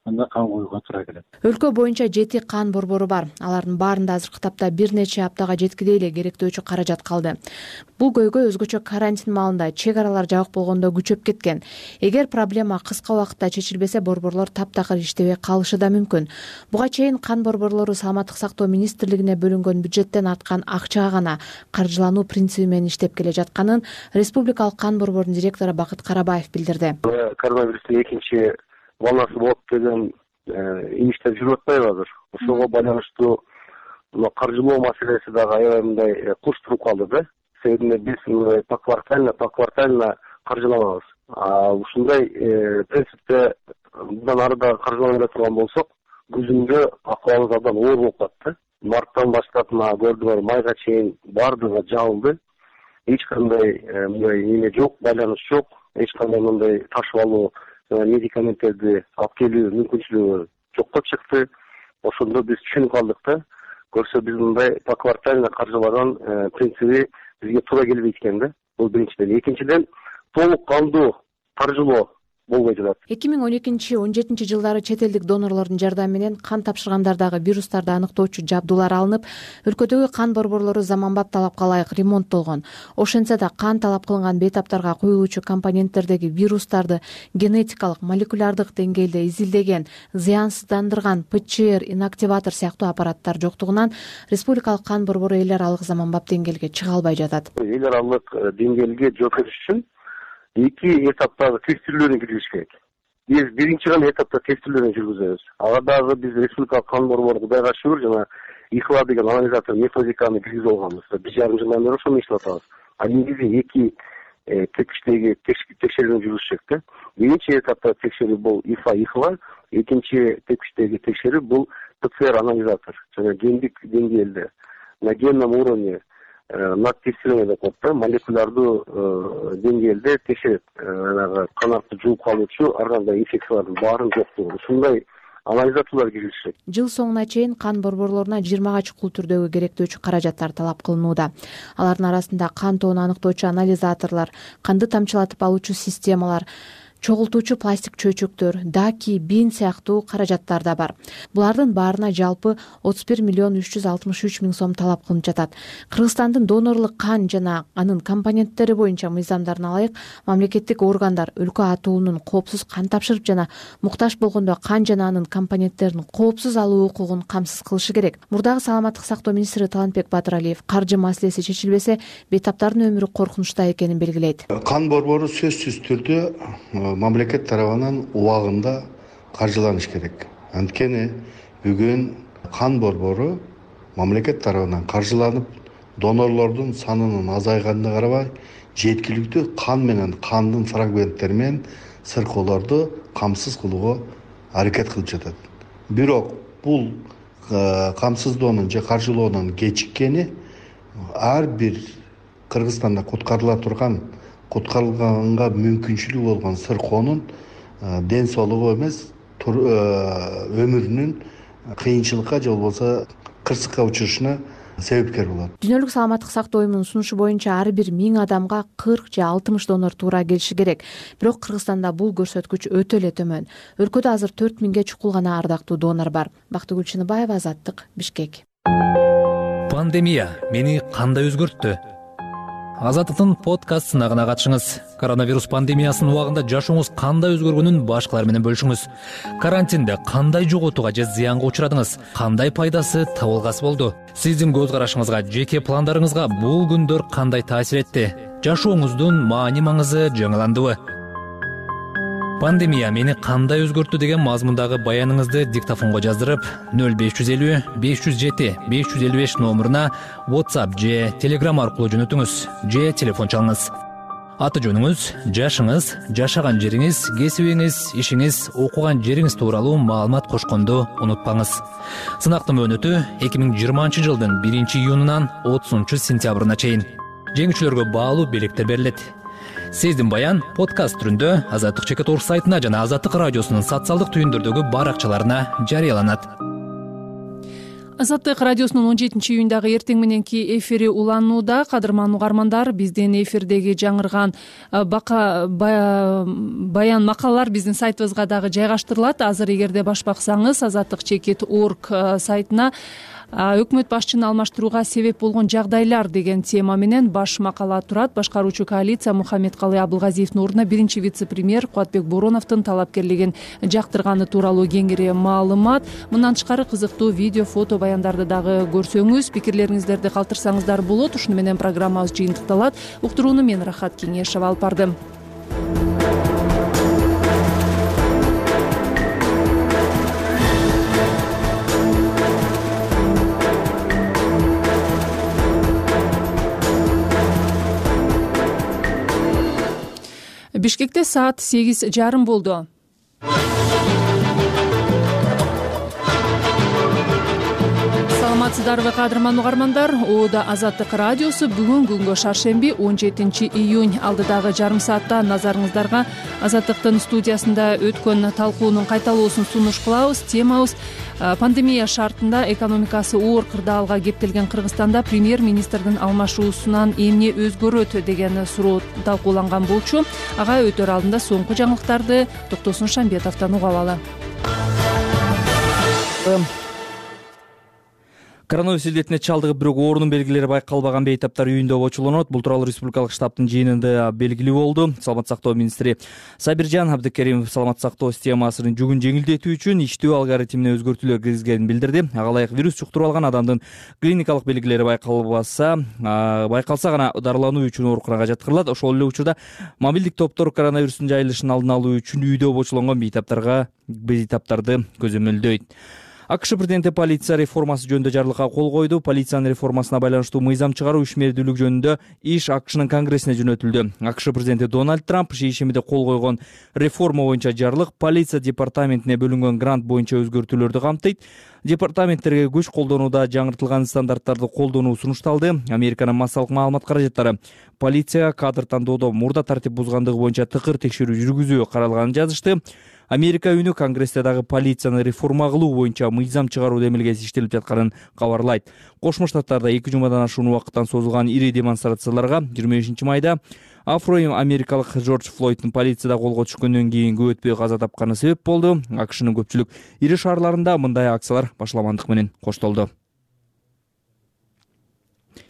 Speaker 15: анда кан куюуга туура келет.
Speaker 12: Өлкө боюнча жети кан борбору бар. Алардын баарында азыркы тапта бир нече аптага жеткидей эле керектөөчү каражат калды. Бул көйгөй өзгөчө карантин маалында чек аралар жабык болгондо күчөп кеткен. Эгер проблема кыска убакытта чечилбесе, борборлор таптакыр иштебей калышы да мүмкүн. Буга чейин кан борборлору Саламаттык сактоо министрлигине бөлүнгөн бюджеттен арткан акчага гана каржылануу принциби менен иштеп келе жатканын Республикалык кан борборунун директору Бакыт Карабаев билдирди.
Speaker 3: Коронавирустун экинчи волнасы болот деген иништер жүрүп атпайбы азыр? Ошого байланыштуу каржылоо маселеси дагы аябай мындай курч туруп калды да. Себеби биз мындай поквартально поквартально каржыланабыз. Ушундай принципте мындан ары да каржыланбай турган болсок, күзүндө акыбалыбыз абдан оор болуп калат. Марттан баштап мына көрдүңөр, майга чейин баардыгы жабылды. Эч кандай мындай эме жок, байланыш жок, эч кандай мындай ташып алуу, медикаменттерди алып келүү мүмкүнчүлүгү жокко чыкты. Ошондо биз түшүнүп калдык да. Көрсө биз мындай поквартально каржылаган принциби бизге туура келбейт экен да. Бул биринчиден. Экинчиден, толук кандуу каржылоо болбой жатат.
Speaker 12: эки миң он экинчи он жетинчи жылдары чет элдик донорлордун жардамы менен кан тапшыргандардагы вирустарды аныктоочу жабдуулар алынып, өлкөдөгү кан борборлору заманбап талапка ылайык ремонттолгон. Ошентсе да кан талап кылынган бейтаптарга куюлуучу компоненттердеги вирустарды генетикалык, молекулярдык деңгээлде изилдеген, зыянсыздандырган ПЧР, инактиватор сыяктуу аппараттар жоктугунан Республикалык кан борбору эл аралык заманбап деңгээлге чыга албай жатат.
Speaker 3: Эл аралык деңгээлге жооп бериш үчүн эки этаптагы тестирлөөнү киргизиш керек. Биз биринчи гана этапта тестирлөөнү жүргүзөбүз. Ага дагы биз Республикалык кан борбору Кудайга шүгүр жана ИХЛА деген анализатор методиканы киргизип алганбыз. бир жарым жылдан бери ошону иштеп атабыз. А негизи эки тепкичтеги текшерүүнү жүргүзүшөк да. Биринчи этапта текшерүү бул ИФА ИХЛА, экинчи тепкичтеги текшерүү бул ПЦР анализатор жана гендик деңгээлде на генном уровне над тестирование деп коет да, молекулярдуу деңгээлде текшерет. Жанагы канатты жууп калуучу ар кандай инфекциялардын баарын жоктугун. Ушундай анализаторлор киргизишет.
Speaker 12: Жыл соңуна чейин кан борборлоруна жыйырмага чукул түрдөгү керектөөчү каражаттар талап кылынууда. Алардын арасында кан тоону аныктоочу анализаторлор, канды тамчылатып алуучу системалар, чогултуучу пластик чөйчөктөр, даки, бин сыяктуу каражаттар да бар. Булардын баарына жалпы отуз бир миллион үч жүз алтымыш үч миң сом талап кылынып жатат. Кыргызстандын донорлук кан жана анын компоненттери боюнча мыйзамдарына ылайык мамлекеттик органдар өлкө атоонун коопсуз кан тапшырып жана муктаж болгондо кан жана анын компоненттерин коопсуз алуу укугун камсыз кылышы керек. Мурдагы Саламаттык сактоо министри Талантбек Батыралиев каржы маселеси чечилбесе, бейтаптардын өмүрү коркунучта экенин белгилейт.
Speaker 16: Кан борбору сөзсүз түрдө мамлекет тарабынан убагында каржыланыш керек. Анткени бүгүн кан борбору мамлекет тарабынан каржыланып, донорлордун санынын азайганына карабай, жеткиликтүү кан менен кандын фрагменттери менен сыркоолорду камсыз кылууга аракет кылып жатат. Бирок бул камсыздоонун же каржылоонун кечиккени ар бир Кыргызстанда куткарыла турган куткарылганга мүмкүнчүлүгү болгон сыркоонун ден соолугу эмес, өмүрүнүн кыйынчылыкка же болбосо кырсыкка учурушуна себепкер болот.
Speaker 12: Дүйнөлүк саламаттык сактоо уюмунун сунушу боюнча ар бир миң адамга кырк же алтымыш донор туура келиши керек. Бирок Кыргызстанда бул көрсөткүч өтө эле төмөн. Өлкөдө азыр төрт миңге чукул гана ардактуу донор бар. Бактыгүл Чыныбаева, Азаттык, Бишкек.
Speaker 17: Пандемия мени кандай өзгөрттү? Азаттыктын подкаст сынагына катышыңыз. Коронавирус пандемиясынын убагында жашооңуз кандай өзгөргөнүн башкалар менен бөлүшүңүз. Карантинде кандай жоготууга же зыянга учурадыңыз? Кандай пайдасы, табылгасы болду? Сиздин көз карашыңызга, жеке пландарыңызга бул күндөр кандай таасир этти? Жашооңуздун маани маңызы жаңыландыбы? Пандемия мени кандай өзгөрттү деген мазмундагы баяныңызды диктофонго жаздырып, нөл беш жүз элүү беш жүз жети беш жүз элүү беш номуруна WhatsApp же Telegram аркылуу жөнөтүңүз же телефон чалыңыз. Аты жөнүңүз, жашыңыз, жашаган жериңиз, кесибиңиз, ишиңиз, окуган жериңиз тууралуу маалымат кошконду унутпаңыз. Сынактын мөөнөтү эки миң жыйырманчы жылдын биринчи июнунан отузунчу сентябрына чейин. Жеңүүчүлөргө баалуу белектер берилет. Сиздин баян подкаст түрүндө Азаттык чекит орг сайтына жана Азаттык радиосунун социалдык түйүндөрдөгү баракчаларына жарыяланат.
Speaker 1: Азаттык радиосунун он жетинчи июндагы эртең мененки эфири уланууда. Кадырман угармандар, биздин эфирдеги жаңырган бака баян макалалар биздин сайтыбызга дагы жайгаштырылат. Азыр эгерде баш баксаңыз азаттык чекит орг сайтына өкмөт башчыны алмаштырууга себеп болгон жагдайлар деген тема менен баш макала турат. Башкаруучу коалиция Мухаммедкалый Абылгазиевдин ордуна биринчи вице-премьер Кубатбек Бороновдун талапкерлигин жактырганы тууралуу кеңири маалымат. Мындан тышкары кызыктуу видео, фото баяндарды дагы көрсөңүз, пикирлериңиздерди калтырсаңыздар болот. Ушуну менен программабыз жыйынтыкталат. Уктурууну мен Рахат Кеңешова алып бардым. Бишкекте саат сегиз жарым болду. Саламатсыздарбы кадырман угармандар? Ода Азаттык радиосу бүгүн күнгө шаршемби он жетинчи июнь алдыдагы жарым саатта назарыңыздарга Азаттыктын студиясында өткөн талкуунун кайталоосун сунуш кылабыз. Темабыз пандемия шартында экономикасы оор кырдаалга кептелген Кыргызстанда премьер-министрдин алмашуусунан эмне өзгөрөт деген суроо талкууланган болчу. Ага өтөр алдында соңку жаңылыктарды Токтосун Шамбетовдон угуп алалы.
Speaker 5: Коронавирус илдетине чалдыгып, бирок оорунун белгилери байкалбаган бейтаптар үйүндө обочуланат. Бул тууралуу Республикалык штабтын жыйынында белгилүү болду. Саламаттык сактоо министри Сабиржан Абдыкеримов саламаттык сактоо системасынын жүгүн жеңилдетүү үчүн иштөө алгоритмине өзгөртүүлөр киргизгенин билдирди. Ага ылайык вирус жуктуруп алган адамдын клиникалык белгилери байкалбаса, байкалса гана дарылануу үчүн ооруканага жаткырылат. Ошол эле учурда мобилдик топтор коронавирустун жайылышын алдын алуу үчүн үйдө обочуланган бейтаптарга бейтаптарды көзөмөлдөйт. АКШ президенти полиция реформасы жөнүндө жарлыкка кол койду. Полициянын реформасына байланыштуу мыйзам чыгаруу ишмердүүлүк жөнүндө иш АКШнын конгрессине жөнөтүлдү. АКШ президенти Дональд Трамп шейшембиде кол койгон реформа боюнча жарлык полиция департаментине бөлүнгөн грант боюнча өзгөртүүлөрдү камтыйт. Департаменттерге күч колдонууда жаңыртылган стандарттарды колдонуу сунушталды. Американын массалык маалымат каражаттары полицияга кадр тандоодо мурда тартип бузгандыгы боюнча тыкыр текшерүү жүргүзүү каралганын жазышты. Америка үнү Конгрессте дагы полицияны реформа кылуу боюнча мыйзам чыгаруу демилгеси иштелип жатканын кабарлайт. Кошмо Штаттарда эки жумадан ашуун убакыттан созулган ири демонстрацияларга жыйырма бешинчи майда афро-америкалык Джордж Флойддун полицияда колго түшкөндөн кийин көп өтпөй каза тапканы себеп болду. АКШнын көпчүлүк ири шаарларында мындай акциялар башламандык менен коштолду.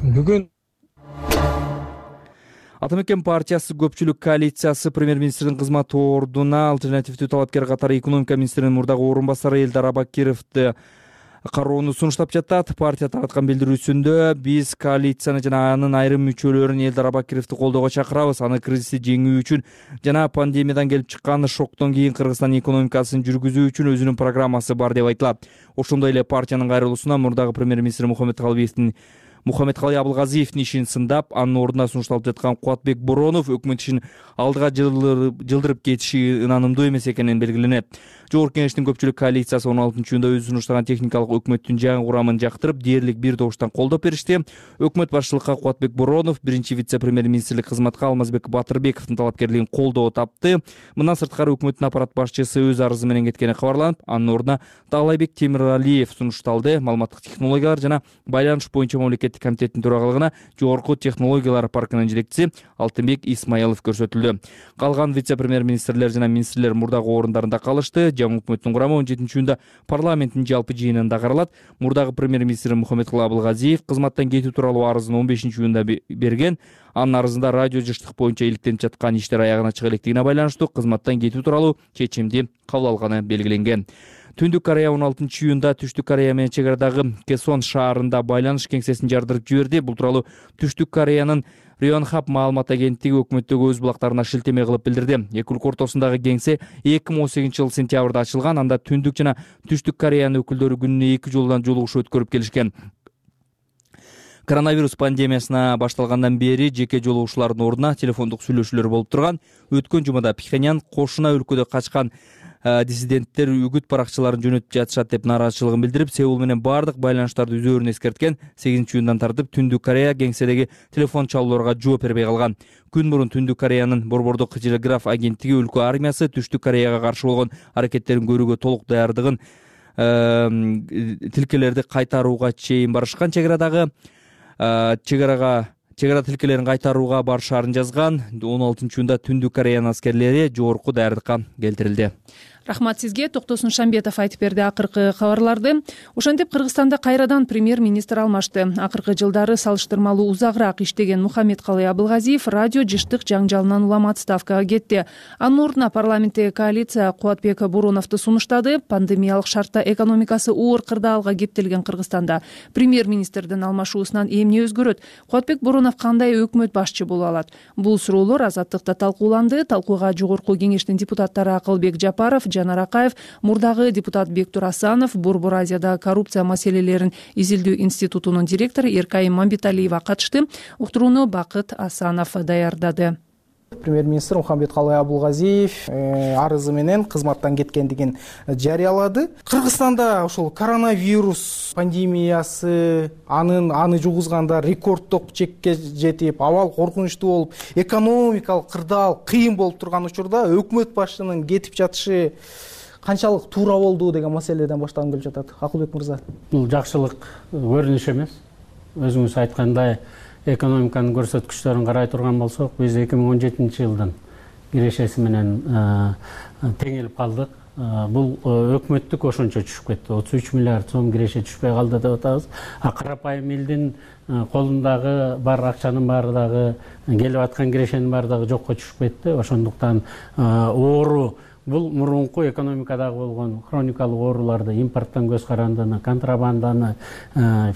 Speaker 6: Бүгүн
Speaker 5: Ата мекен партиясы көпчүлүк коалициясы премьер-министрдин кызмат ордуна альтернативдүү талапкер катары экономика министринин мурдагы орун басары Элдар Абакировду кароону сунуштап жатат. Партия тараткан билдирүүсүндө биз коалицияны жана анын айрым мүчөлөрүн Элдар Абакировду колдоого чакырабыз. Аны кризисти жеңүү үчүн жана пандемиядан келип чыккан шоктон кийин Кыргызстан экономикасын жүргүзүү үчүн өзүнүн программасы бар деп айтылат. Ошондой эле партиянын кайрылуусуна мурдагы премьер-министр Мухаммедкалыевдин Мухаммедкалый Абылгазиевдин ишин сындап, анын ордуна сунушталып жаткан Кубатбек Боронов өкмөт ишин алдыга жылдырып кетиши ынанымдуу эмес экенин белгиленет. Жогорку Кеңештин көпчүлүк коалициясы он алтынчы июнда өзү сунуштаган техникалык өкмөттүн жаңы курамын жактырып, дээрлик бир добуштан колдоп беришти. Өкмөт башчылыкка Кубатбек Боронов биринчи вице-премьер-министрлик кызматка Алмазбек Батырбековдун талапкерлигин колдоо тапты. Мындан сырткары өкмөттүн аппарат башчысы өз арызы менен кеткени кабарланып, анын ордуна Таалайбек Темиралиев сунушталды. Маалыматтык технологиялар жана байланыш боюнча мамлекеттик комитеттин төрагалыгына жогорку технологиялар паркынын жетекчиси Алтынбек Исмаилов көрсөтүлдү. Калган вице-премьер-министрлер жана министрлер мурдагы орундарында калышты. Жаңы өкмөттүн курамы он жетинчи июнда парламенттин жалпы жыйынында каралат. Мурдагы премьер-министр Мухаммедкалый Абылгазиев кызматтан кетүү тууралуу арызын он бешинчи июнда берген. Анын арызында радио жыштык боюнча иликтенип жаткан иштер аягына чыга электигине байланыштуу кызматтан кетүү тууралуу чечимди кабыл алганы белгиленген. Түндүк Корея он алтынчы июнда Түштүк Корея менен чек арадагы Кесон шаарында байланыш кеңсесин жардырып жиберди. Бул тууралуу Түштүк Кореянын Рионхаб маалымат агенттиги өкмөттөгү өз булактарына шилтеме кылып билдирди. Эки өлкө ортосундагы кеңсе эки миң он сегизинчи жыл сентябрда ачылган. Анда Түндүк жана Түштүк Кореянын өкүлдөрү күнүнө эки жолдон жолугуш өткөрүп келишкен. Коронавирус пандемиясына башталгандан бери жеке жолугушуулардын ордуна телефондук сүйлөшүүлөр болуп турган. Өткөн жумада Пхеньян кошуна өлкөдө качкан диссиденттер үгүт баракчаларын жөнөтүп жатышат деп нааразычылыгын билдирип, Сеул менен бардык байланыштарды үзөөрүн эскерткен. сегизинчи июндан тартып Түндүк Корея кеңседеги телефон чалууларга жооп бербей калган. Күн мурун Түндүк Кореянын Борбордук телеграф агенттиги өлкө армиясы Түштүк Кореяга каршы болгон аракеттерин көрүүгө толук даярдыгын тилкелерди кайтарууга чейин барышкан. чек арадагы чек арага чек ара тилкелерин кайтарууга барышаарын жазган. он алтынчы июнда Түндүк Кореянын аскерлери жогорку даярдыкка келтирилди.
Speaker 1: Рахмат сизге. Токтосун Шамбетов айтып берди акыркы кабарларды. Ошентип Кыргызстанда кайрадан премьер-министр алмашты. Акыркы жылдары салыштырмалуу узагыраак иштеген Мухаммедкалый Абылгазиев радио жыштык жаңжалынан улам отставкага кетти. Анын ордуна парламенттеги коалиция Кубатбек Буруновду сунуштады. Пандемиялык шартта экономикасы оор кырдаалга кептелген Кыргызстанда премьер-министрдин алмашуусунан эмне өзгөрөт? Кубатбек Бурунов кандай өкмөт башчы боло алат? Бул суроолор Азаттыкта талкууланды. Талкууга жогорку кеңештин депутаттары Акылбек Жапаров, Жанар Акаев, мурдагы депутат Бектур Асанов, Борбор Азияда коррупция маселелерин изилдөө институтунун директору Эркайым Мамбеталиева катышты. Уктурууну Бакыт Асанов даярдады.
Speaker 18: Премьер-министр Мухаммедкалый Абылгазиев арызы менен кызматтан кеткендигин жарыялады. Кыргызстанда ошол коронавирус пандемиясы анын аны жугузганда рекорддук чекке жетип, абал коркунучтуу болуп, экономикалык кырдаал кыйын болуп турган учурда өкмөт башчынын кетип жатышы канчалык туура болду деген маселеден баштагым келип жатат. Акылбек мырза.
Speaker 19: Бул жакшылык көрүнүш эмес. Өзүңүз айткандай, экономиканын көрсөткүчтөрүн карай турган болсок, биз эки миң он жетинчи жылдын кирешеси менен теңелип калдык. Бул өкмөттүк ошончо түшүп кетти. отуз үч миллиард сом киреше түшпөй калды деп атабыз. А карапайым элдин колундагы бар акчанын баары дагы, келип аткан кирешенин баары дагы жокко түшүп кетти. Ошондуктан оору бул мурунку экономикадагы болгон хроникалык ооруларды, импорттон көз карандыны, контрабанданы,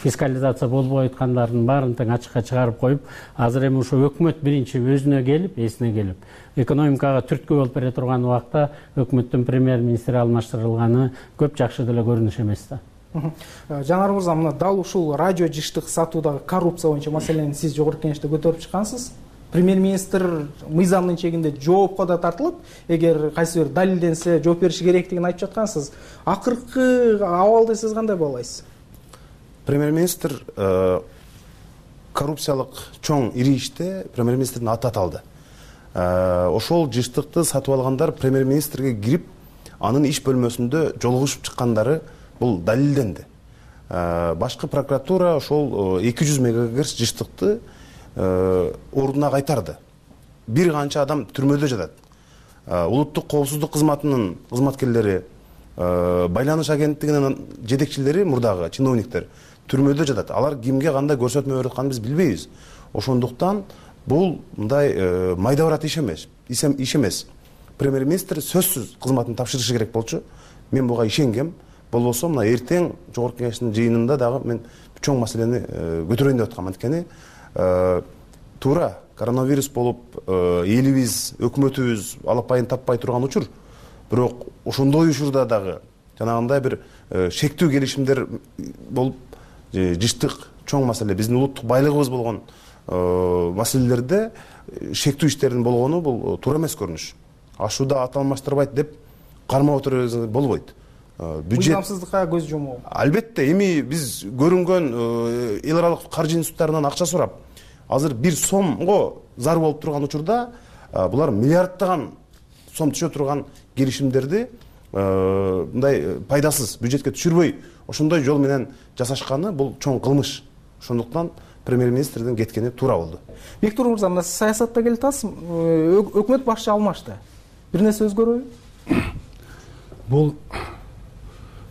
Speaker 19: фискализация болбой аткандардын баарын тең ачыкка чыгарып коюп, азыр эми ошо өкмөт биринчи өзүнө келип, эсине келип, экономикага түрткү болуп бере турган убакта өкмөттүн премьер-министри алмаштырылганы көп жакшы деле көрүнүш эмес да.
Speaker 18: Жанар мырза, мына дал ушул радио жыштык сатуудагы коррупция боюнча маселени сиз жогорку кеңеште көтөрүп чыккансыз. Премьер-министр мыйзамдын чегинде жоопко да тартылып, эгер кайсы бир далилденсе жооп бериши керектигин айтып жаткансыз. Акыркы абалды сиз кандай баалайсыз?
Speaker 20: Премьер-министр коррупциялык чоң ири иште премьер-министрдин аты аталды. Ошол жыштыкты сатып алгандар премьер-министрге кирип, анын иш бөлмөсүндө жолугушуп чыккандары бул далилденди. Башкы прокуратура ошол эки жүз мегагерц жыштыкты ордуна кайтарды. Бир канча адам түрмөдө жатат. Улуттук коопсуздук кызматынын кызматкерлери, байланыш агенттигинин жетекчилери, мурдагы чиновниктер түрмөдө жатат. Алар кимге кандай көрсөтмө берип атканын биз билбейбиз. Ошондуктан бул мындай майда барат иш эмес. Иш эмес. Премьер-министр сөзсүз кызматын тапшырышы керек болчу. Мен буга ишенгем. Болбосо мына эртең жогорку кеңештин жыйынында дагы мен чоң маселени көтөрөйүн деп аткам. Анткени туура коронавирус болуп, элибиз, өкмөтүбүз алапайын таппай турган учур. Бирок ошондой учурда дагы жанагындай бир шектүү келишимдер болуп, жыштык чоң маселе, биздин улуттук байлыгыбыз болгон маселелерде шектүү иштердин болгону бул туура эмес көрүнүш. Ашууда ат алмаштырбайт деп кармап отурууга болбойт.
Speaker 18: Мыйзамсыздыкка көз жумуу.
Speaker 20: Албетте, эми биз көрүнгөн эл аралык каржы институттарынан акча сурап, азыр бир сомго зар болуп турган учурда булар миллиардтаган сом түшө турган келишимдерди мындай пайдасыз бюджетке түшүрбөй ошондой жол менен жасашканы бул чоң кылмыш. Ошондуктан премьер-министрдин кеткени туура болду.
Speaker 18: Бектур мырза, мына саясатта келип атасыз, өкмөт башчы алмашты. Бир нерсе өзгөрөбү?
Speaker 21: Бул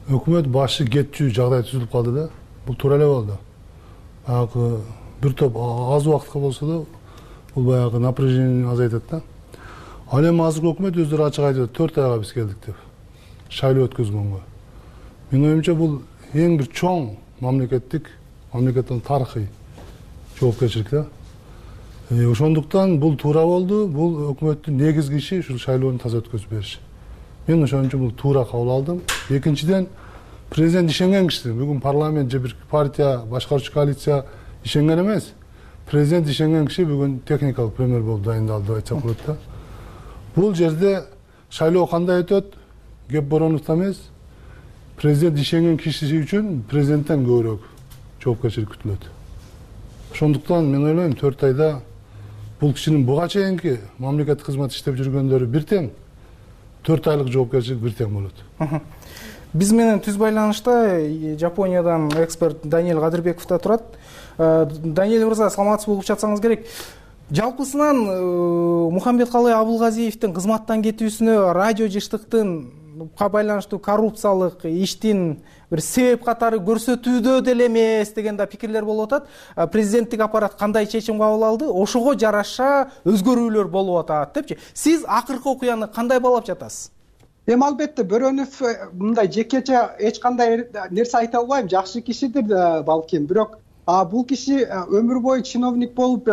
Speaker 21: өкмөт башы кетчү жагдай түзүлүп калды да. Бул туура эле болду. Баягы бир топ аз убакытка болсо да бул баягы напряжение азайтат да. Ал эми азыркы өкмөт өздөрү ачык айтып атат, төрт айга биз келдик деп. Шайлоо өткөзгөнгө. Менин оюмча бул эң бир чоң мамлекеттик, мамлекеттин тарыхый жоопкерчилик да. Ошондуктан бул туура болду. Бул өкмөттүн негизги иши ушул шайлоону таза өткөзүп бериш. Мен ошончо бул туура кабыл алдым. Экинчиден, президент ишенген киши. Бүгүн парламент же бир партия, башкаруучу коалиция ишенген эмес. Президент ишенген киши бүгүн техникалык премьер болуп дайындалды деп айтсак болот да. Бул жерде шайлоо кандай өтөт? Кеп Бороновдо эмес. Президент ишенген киши үчүн президенттен көбүрөөк жоопкерчилик күтүлөт. Ошондуктан мен ойлойм, төрт айда бул кишинин буга чейинки мамлекеттик кызмат иштеп жүргөндөрү бир тең, төрт айлык жоопкерчилик бир тең болот.
Speaker 18: Биз менен түз байланышта Жапониядан эксперт Даниэль Кадырбеков да турат. Даниэль мырза, саламатсыз болуп жатсаңыз керек. Жалпысынан Мухамбеткалый Абылгазиевдин кызматтан кетүүсүнө радио жыштыктынга байланыштуу коррупциялык иштин бир себеп катары көрсөтүүдө деле эмес деген да пикирлер болуп атат. Президенттик аппарат кандай чечим кабыл алды, ошого жараша өзгөрүүлөр болуп атат депчи. Сиз акыркы окуяны кандай баалап жатасыз?
Speaker 9: Эми албетте Бөрөнов мындай жекече эч кандай нерсе айта албайм, жакшы кишидир балким, бирок бул киши өмүр бою чиновник болуп,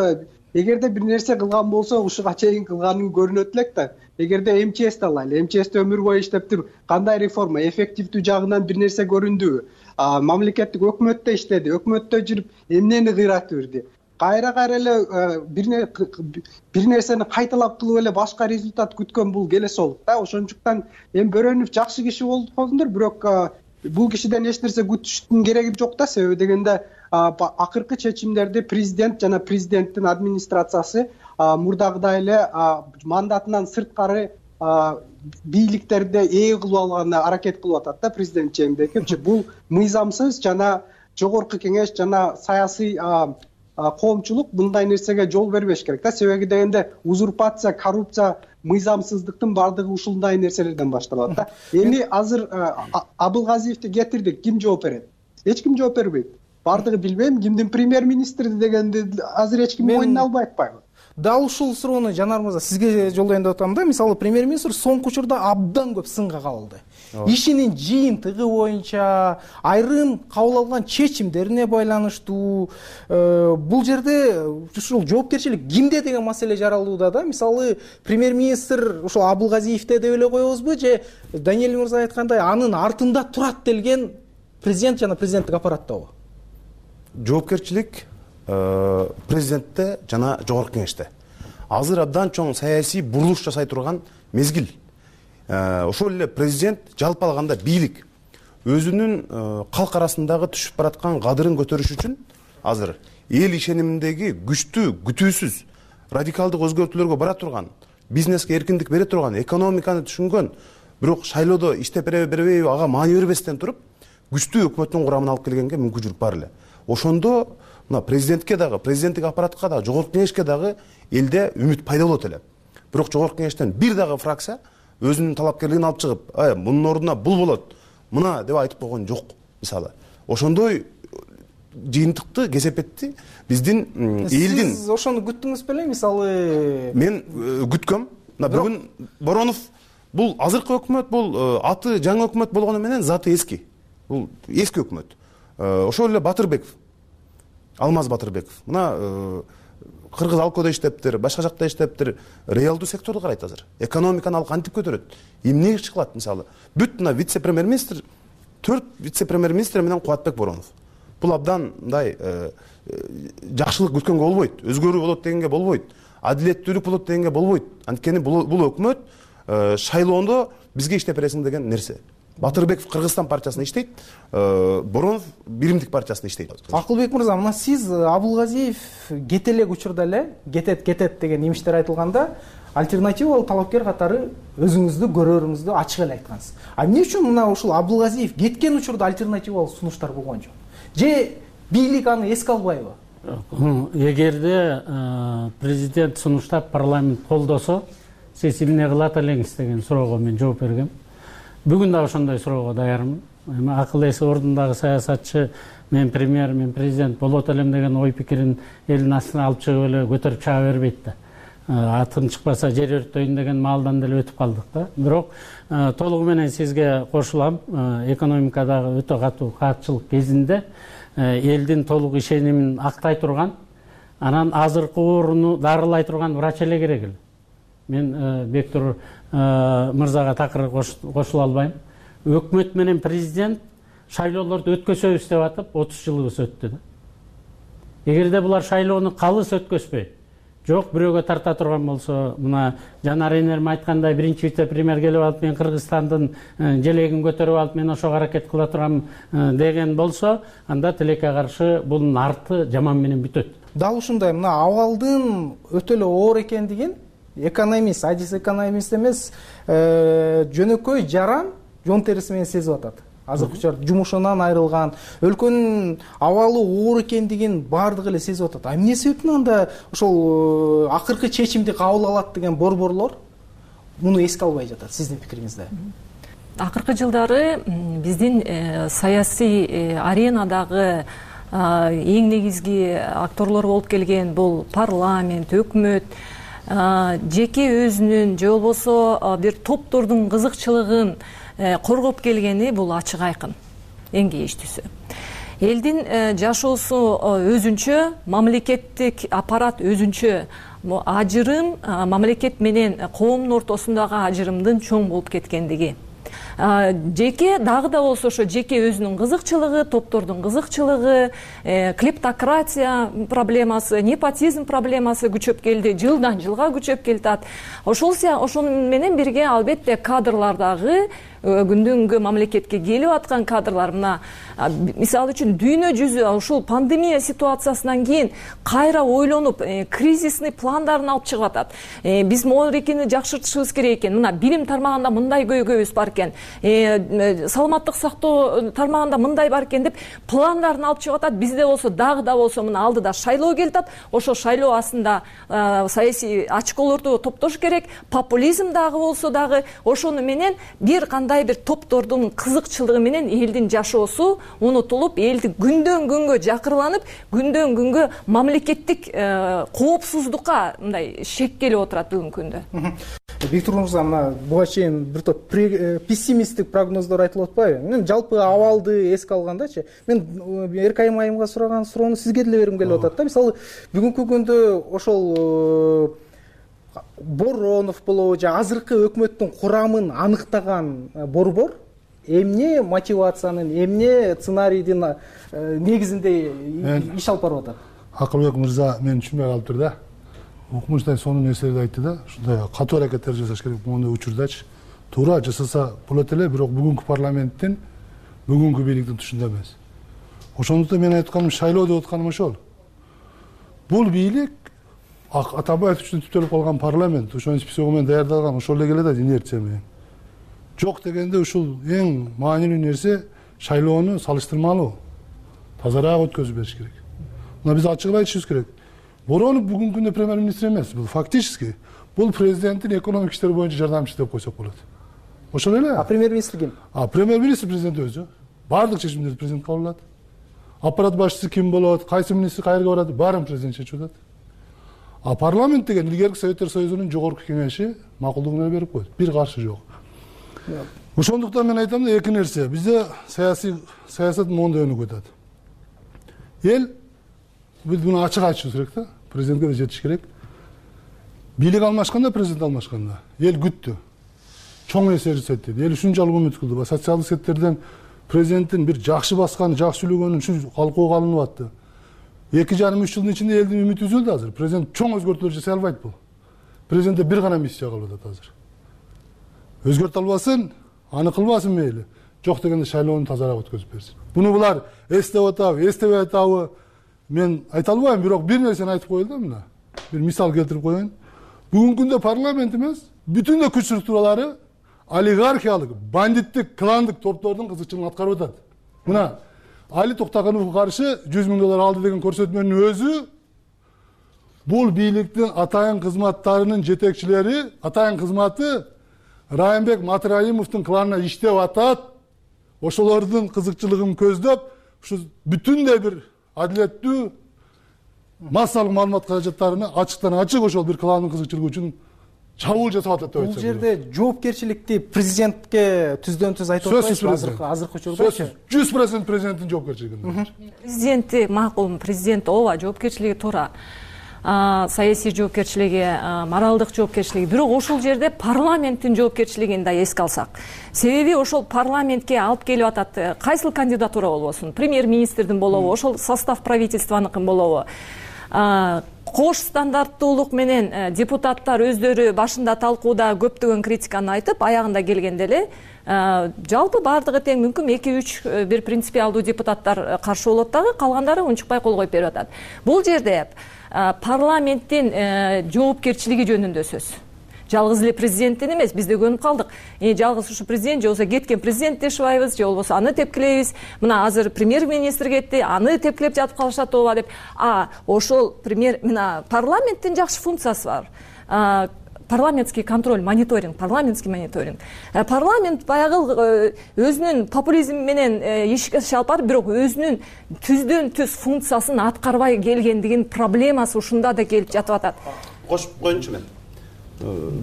Speaker 9: эгерде бир нерсе кылган болсо ушуга чейин кылганын көрүнөт элек да. Эгерде эм че эсти алайлы, эм че эсти өмүр бою иштептир, кандай реформа, эффективдүү жагынан бир нерсе көрүндүбү? Мамлекеттик өкмөттө иштеди, өкмөттө жүрүп эмнени кыйратып берди? Кайра кайра эле бир нерсени кайталап кылып эле башка результат күткөн бул келесолук да. Ошондуктан эми Бөрөнов жакшы киши болдур, бирок бул кишиден эч нерсе күтүштүн кереги жок да. Себеби дегенде акыркы чечимдерди президент жана президенттин администрациясы мурдагыдай эле мандатынан сырткары бийликтерди ээ кылып алганга аракет кылып атат да президент чейимдеги. Бул мыйзамсыз жана жогорку кеңеш жана саясий коомчулук мындай нерсеге жол бербеш керек да. Себеби дегенде узурпация, коррупция, мыйзамсыздыктын баардыгы ушундай нерселерден башталат да. Эми азыр Абылгазиевди кетирдик, ким жооп берет? Эч ким жооп бербейт. Баардыгы билбейм, кимдин премьер-министри дегенди азыр эч ким мойнуна албай атпайбы?
Speaker 18: Дал ушул суроону Жанар мырза сизге жолдойюн деп атам да. Мисалы премьер-министр соңку учурда абдан көп сынга кабылды. Ишинин жыйынтыгы боюнча, айрым кабыл алган чечимдерине байланыштуу бул жерде ушул жоопкерчилик кимде деген маселе жаралууда да. Мисалы премьер-министр ушул Абылгазиевде деп эле коебузбу же Даниэль мырза айткандай анын артында турат делген президент жана президенттик аппараттабы?
Speaker 20: Жоопкерчилик президентте жана жогорку кеңеште. Азыр абдан чоң саясий бурулуш жасай турган мезгил. Ошол эле президент жалпы алганда бийлик өзүнүн калк арасындагы түшүп бараткан кадырын көтөрүш үчүн азыр эл ишениминдеги күчтүү, күтүүсүз, радикалдык өзгөртүүлөргө бара турган, бизнеске эркиндик бере турган, экономиканы түшүнгөн, бирок шайлоодо иштеп береби бербейби ага маани бербестен туруп, күчтүү өкмөттүн курамына алып келгенге мүмкүнчүлүк бар эле. Ошондо мына президентке дагы, президенттик аппаратка дагы, жогорку кеңешке дагы элде үмүт пайда болот эле. Бирок жогорку кеңештен бир дагы фракция өзүнүн талапкерлигин алып чыгып, "Ай, мунун ордуна бул болот, мына" деп айтып койгон жок, мисалы. Ошондой жыйынтыкты, кесепетти биздин элдин.
Speaker 18: Сиз ошону күттүңүз беле, мисалы?
Speaker 20: Мен күткөм. Мына бүгүн Боронов бул азыркы өкмөт, бул аты жаңы өкмөт болгону менен заты эски. Бул эски өкмөт. Ошол эле Батырбеков, Алмаз Батырбеков. Мына Кыргыз Алкоодо иштептир, башка жакта иштептир, реалдуу секторду карайт азыр. Экономиканы ал кантип көтөрөт? Эмне иш кылат мисалы? Бүт мына вице-премьер-министр, төрт вице-премьер-министр менен Кубатбек Боронов. Бул абдан мындай жакшылык күткөнгө болбойт, өзгөрүү болот дегенге болбойт, адилеттүүлүк болот дегенге болбойт. Анткени бул өкмөт шайлоондо бизге иштеп бересиң деген нерсе. Батырбеков Кыргызстан партиясында иштейт, Боронов Биримдик партиясында иштейт.
Speaker 18: Акылбек мырза, мына сиз Абылгазиев кете элек учурда эле кетет кетет деген имиштер айтылганда, альтернативалык талапкер катары өзүңүздү көрөрүңүздү ачык эле айткансыз. А эмне үчүн мына ушул Абылгазиев кеткен учурда альтернативалык сунуштар болгон жок? Же бийлик аны эске албайбы?
Speaker 19: Эгерде президент сунуштап парламент колдосо, сиз эмне кылат элеңиз деген суроого мен жооп бергем. Бүгүн да ошондой суроого даярмын. Эми акыл эси ордундагы саясатчы мен премьер, мен президент болот элем деген ой пикирин элдин астына алып чыгып эле көтөрүп чыга бербейт да. Атын чыкпаса жер өрттөйүн деген маалдан деле өтүп калдык да. Бирок толугу менен сизге кошулам. Экономикадагы өтө катуу каатчылык кезинде элдин толук ишенимин актай турган, анан азыркы ооруну дарылай турган врач эле керек эле. Мен Бектур мырзага такыр кошула албайм. Өкмөт менен президент шайлоолорду өткөзөбүз деп атып, отуз жылыбыз өттү да. Эгерде булар шайлоону калыс өткөзбөй, жок бирөөгө тарта турган болсо, мына Жанар энерим айткандай, биринчи вице-премьер келип алып, мен Кыргызстандын желегин көтөрүп алып, мен ошого аракет кыла турам деген болсо, анда тилекке каршы бунун арты жаман менен бүтөт.
Speaker 18: Дал ушундай, мына абалдын өтө эле оор экендигин экономист, адис экономист эмес, жөнөкөй жаран жон териси менен сезип атат. азыркы учурда жумушунан айрылган, өлкөнүн абалы оор экендигин баардыгы эле сезип атат. А эмне себептен анда ошол акыркы чечимди кабыл алат деген борборлор муну эске албай жатат, сиздин пикириңизде?
Speaker 2: Акыркы жылдары биздин саясий аренадагы эң негизги акторлор болуп келген бул парламент, өкмөт жеке өзүнүн же болбосо бир топтордун кызыкчылыгын коргоп келгени бул ачык айкын, эң кейиштүүсү. Элдин жашоосу өзүнчө, мамлекеттик аппарат өзүнчө, ажырым мамлекет менен коомдун ортосундагы ажырымдын чоң болуп кеткендиги. Жеке дагы да болсо ошо жеке өзүнүн кызыкчылыгы, топтордун кызыкчылыгы, клептократия проблемасы, непотизм проблемасы күчөп келди, жылдан жылга күчөп келатат. Ошол ошол менен бирге албетте кадрлардагы күндөн күнгө мамлекетке келип аткан кадрлар, мына мисалы үчүн дүйнө жүзү ушул пандемия ситуациясынан кийин кайра ойлонуп кризисный пландарын алып чыгып атат. Биз могу экени жакшыртышыбыз керек экен. Мына билим тармагында мындай көйгөйүбүз бар экен, саламаттык сактоо тармагында мындай бар экен деп пландарын алып чыгып атат. Бизде болсо дагы да болсо мына алдыда шайлоо келип атат. Ошо шайлоо астында саясий ачколорду топтош керек. Популизм дагы болсо дагы ошону менен бир кандай бир топтордун кызыкчылыгы менен элдин жашоосу унутулуп, элди күндөн күнгө жакырланып, күндөн күнгө мамлекеттик коопсуздукка мындай шек келип отурат бүгүнкү күндө.
Speaker 18: Виктор Мырза, мына буга чейин бир топ пессимисттик прогноздор айтылып атпайбы? Мен жалпы абалды эске алгандачы, мен Эркайым айымга сураган суроону сизге деле бергим келип атат да. Мисалы, бүгүнкү күндө ошол Боронов болобу же азыркы өкмөттүн курамын аныктаган борбор эмне мотивациянын, эмне сценарийдин негизинде иш алып барып атат?
Speaker 21: Акылбек мырза мени түшүнбөй калыптыр да. Укмуштай сонун нерселерди айтты да. Ушундай катуу аракеттер жасаш керек моундай учурдачы. Туура жасаса болот эле, бирок бүгүнкү парламенттин, бүгүнкү бийликтин тушунда эмес. Ошондуктан мен айтканым, шайлоо деп атканым ошол. Бул бийлик Атабаев үчүн түптөлүп калган парламент, ошонун списогу менен даярдалган, ошол эле келет инерция менен. Жок дегенде ушул эң маанилүү нерсе шайлоону салыштырмалуу, тазараак өткөзүп бериш керек. Мына биз ачык айтышыбыз керек. Боронов бүгүнкү күндө премьер-министр эмес, бул фактически бул президенттин экономик иштер боюнча жардамчысы деп койсок болот. Ошол эле.
Speaker 18: А премьер-министр ким?
Speaker 21: А премьер-министр президент өзү. Бардык чечимдерди президент кабыл алат. Аппарат башчысы ким болот, кайсы министр кайерге барат, баарын президент чечип атат. А парламент деген илгерки Советтер Союзунун жогорку кеңеши макулдугун берип койду. Бир каршы жок. Ошондуктан мен айтам да, эки нерсе. Бизде саясий саясат моундай өнүгүп атат. Эл биз муну ачык айтышыбыз керек да. Президентке да жетиш керек. Бийлик алмашканда, президент алмашканда эл күттү. Чоң нерсе жасайт деди. Эл ушунчалык үмүт кылды. Социалдык сектордон президенттин бир жакшы басканы, жакшы сүйлөгөнү ушу калкууга алынып атты. эки жарым үч жылдын ичинде элдин үмүтү үзүлдү азыр. Президент чоң өзгөртүүлөр жасай албайт бул. Президентте бир гана миссия калып атат азыр. Өзгөртө албасын, аны кылбасын мейли. Жок дегенде шайлоону тазараак өткөзүп берсин. Буну булар эстеп атабы, эстебей атабы мен айта албайм, бирок бир нерсени айтып коелу да мына. Бир мисал келтирип коеюн. Бүгүнкү күндө парламент эмес, бүтүн күч структуралары олигархиялык, бандиттик, кландык топтордун кызыкчылыгын аткарып атат. Мына Али Токтогоновго каршы жүз миң доллар алды деген көрсөтмөнүн өзү бул бийликтин атайын кызматтарынын жетекчилери, атайын кызматы Райымбек Матраимовдун кланына иштеп атат. Ошолордун кызыкчылыгын көздөп, ушу бүтүндөй бир адилеттүү массалык маалымат каражаттарына ачыктан ачык ошол бир кландын кызыкчылыгы үчүн чабуул жасап атат деп айтсам.
Speaker 18: Бул жерде жоопкерчиликти президентке түздөн түз айтып атпайсызбы азыркы азыркы учурда?
Speaker 21: жүз процент президенттин жоопкерчилиги.
Speaker 2: Президенти макул, президент ооба жоопкерчилиги туура. Саясий жоопкерчилиги, моралдык жоопкерчилиги, бирок ошол жерде парламенттин жоопкерчилигин да эске алсак. Себеби ошол парламентке алып келип атат кайсыл кандидатура болбосун, премьер-министрдин болобу, ошол состав правительствонукун болобу. Кош стандарттуулук менен депутаттар өздөрү башында талкууда көптөгөн критиканы айтып, аягында келгенде эле жалпы баардыгы тең мүмкүн эки үч бир принципиалдуу депутаттар каршы болот дагы, калгандары унчукпай кол коюп берип атат. Бул жерде парламенттин жоопкерчилиги жөнүндө сөз. жалгыз эле президенттен эмес, биз да көнүп калдык. Жалгыз ушу президент же болбосо кеткен президент дешип атпайбыз, же болбосо аны тепкилейбиз. Мына азыр премьер-министр кетти, аны тепкилеп жатып калышат ооба деп. А ошол премьер мына парламенттин жакшы функциясы бар. Парламентский контроль, мониторинг, парламентский мониторинг. Парламент баягы өзүнүн популизм менен ишке алып барып, бирок өзүнүн түздөн түз функциясын аткарбай келген деген проблемасы ушунда да келип жатып атат.
Speaker 20: Кошуп коеюнчу мен.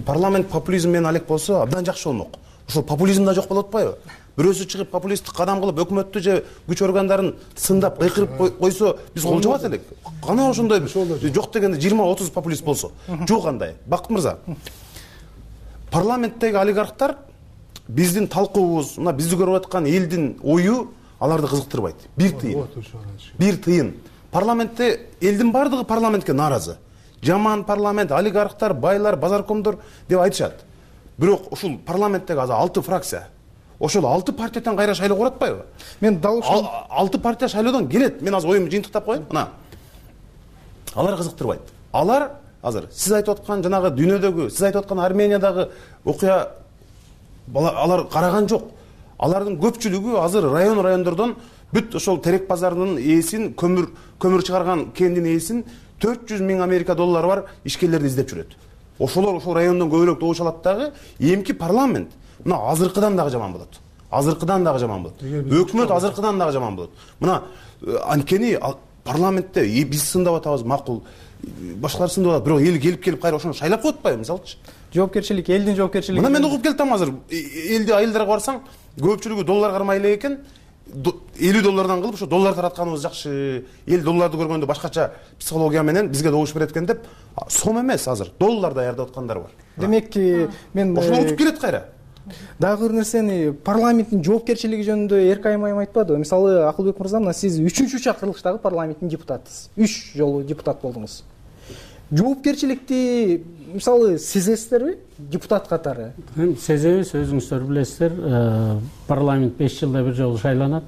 Speaker 20: Парламент популизм менен алек болсо абдан жакшы болмок. Ошол популизм да жок болуп атпайбы? Бирөөсү чыгып популисттик кадам кылып өкмөттү же күч органдарын сындап кыйкырып койсо, биз колжобот элек. Кана ошондой жок дегенде жыйырма отуз популист болсо. Жок андай. Бакыт мырза. Парламенттеги олигархтар биздин талкуубуз, мына бизди көрүп аткан элдин ою аларды кызыктырбайт. Бир тыйын. Бир тыйын. Парламентте элдин бардыгы парламентке нааразы. Жаман парламент, олигархтар, байлар, базаркомдор деп айтышат. Бирок ушул парламенттеги азыр алты фракция. Ошол алты партиядан кайра шайлоо кылып атпайбы?
Speaker 18: Мен дал ушул
Speaker 20: алты партия шайлоодон келет. Мен азыр оюмду жыйынтыктап коеюн. Мына. Алар кызыктырбайт. Алар азыр сиз айтып аткан жанагы дүйнөдөгү, сиз айтып аткан Армениядагы окуя алар караган жок. Алардын көпчүлүгү азыр район райондордон бүт ошол терек базарынын ээсин, көмүр көмүр чыгарган кендин ээсин төрт жүз миң Америка доллары бар ишкерлерди издеп жүрөт. Ошолор ошол райондон көбүрөөк добуш алат дагы, эмки парламент мына азыркыдан дагы жаман болот. Азыркыдан дагы жаман болот. Өкмөт азыркыдан дагы жаман болот. Мына анткени парламентте биз сындап атабыз, макул. Башкалар сындап атат, бирок эл келип келип кайра ошону шайлап коюп атпайбы, мисалчы?
Speaker 18: Жоопкерчилик, элдин жоопкерчилиги.
Speaker 20: Мына мен угуп келатам азыр. Элди айылдарга барсаң, көпчүлүгү доллар кармай элек экен. элүү доллардан кылып ошо доллар таратканыбыз жакшы. Эл долларды көргөндө башкача психология менен бизге добуш берет экен деп, сом эмес азыр доллар даярдап аткандар бар.
Speaker 18: Демек, мен
Speaker 20: ошону утуп келет кайра.
Speaker 18: Дагы бир нерсени, парламенттин жоопкерчилиги жөнүндө Эркай айым айтпадыбы? Мисалы, Акылбек мырза, мына сиз үчүнчү чакырылыштагы парламенттин депутатысыз. үч жолу депутат болдуңуз. Жоопкерчиликти мисалы сезесиздерби депутат катары?
Speaker 19: Сезебиз, өзүңүздөр билесиздер, парламент беш жылда бир жолу шайланат.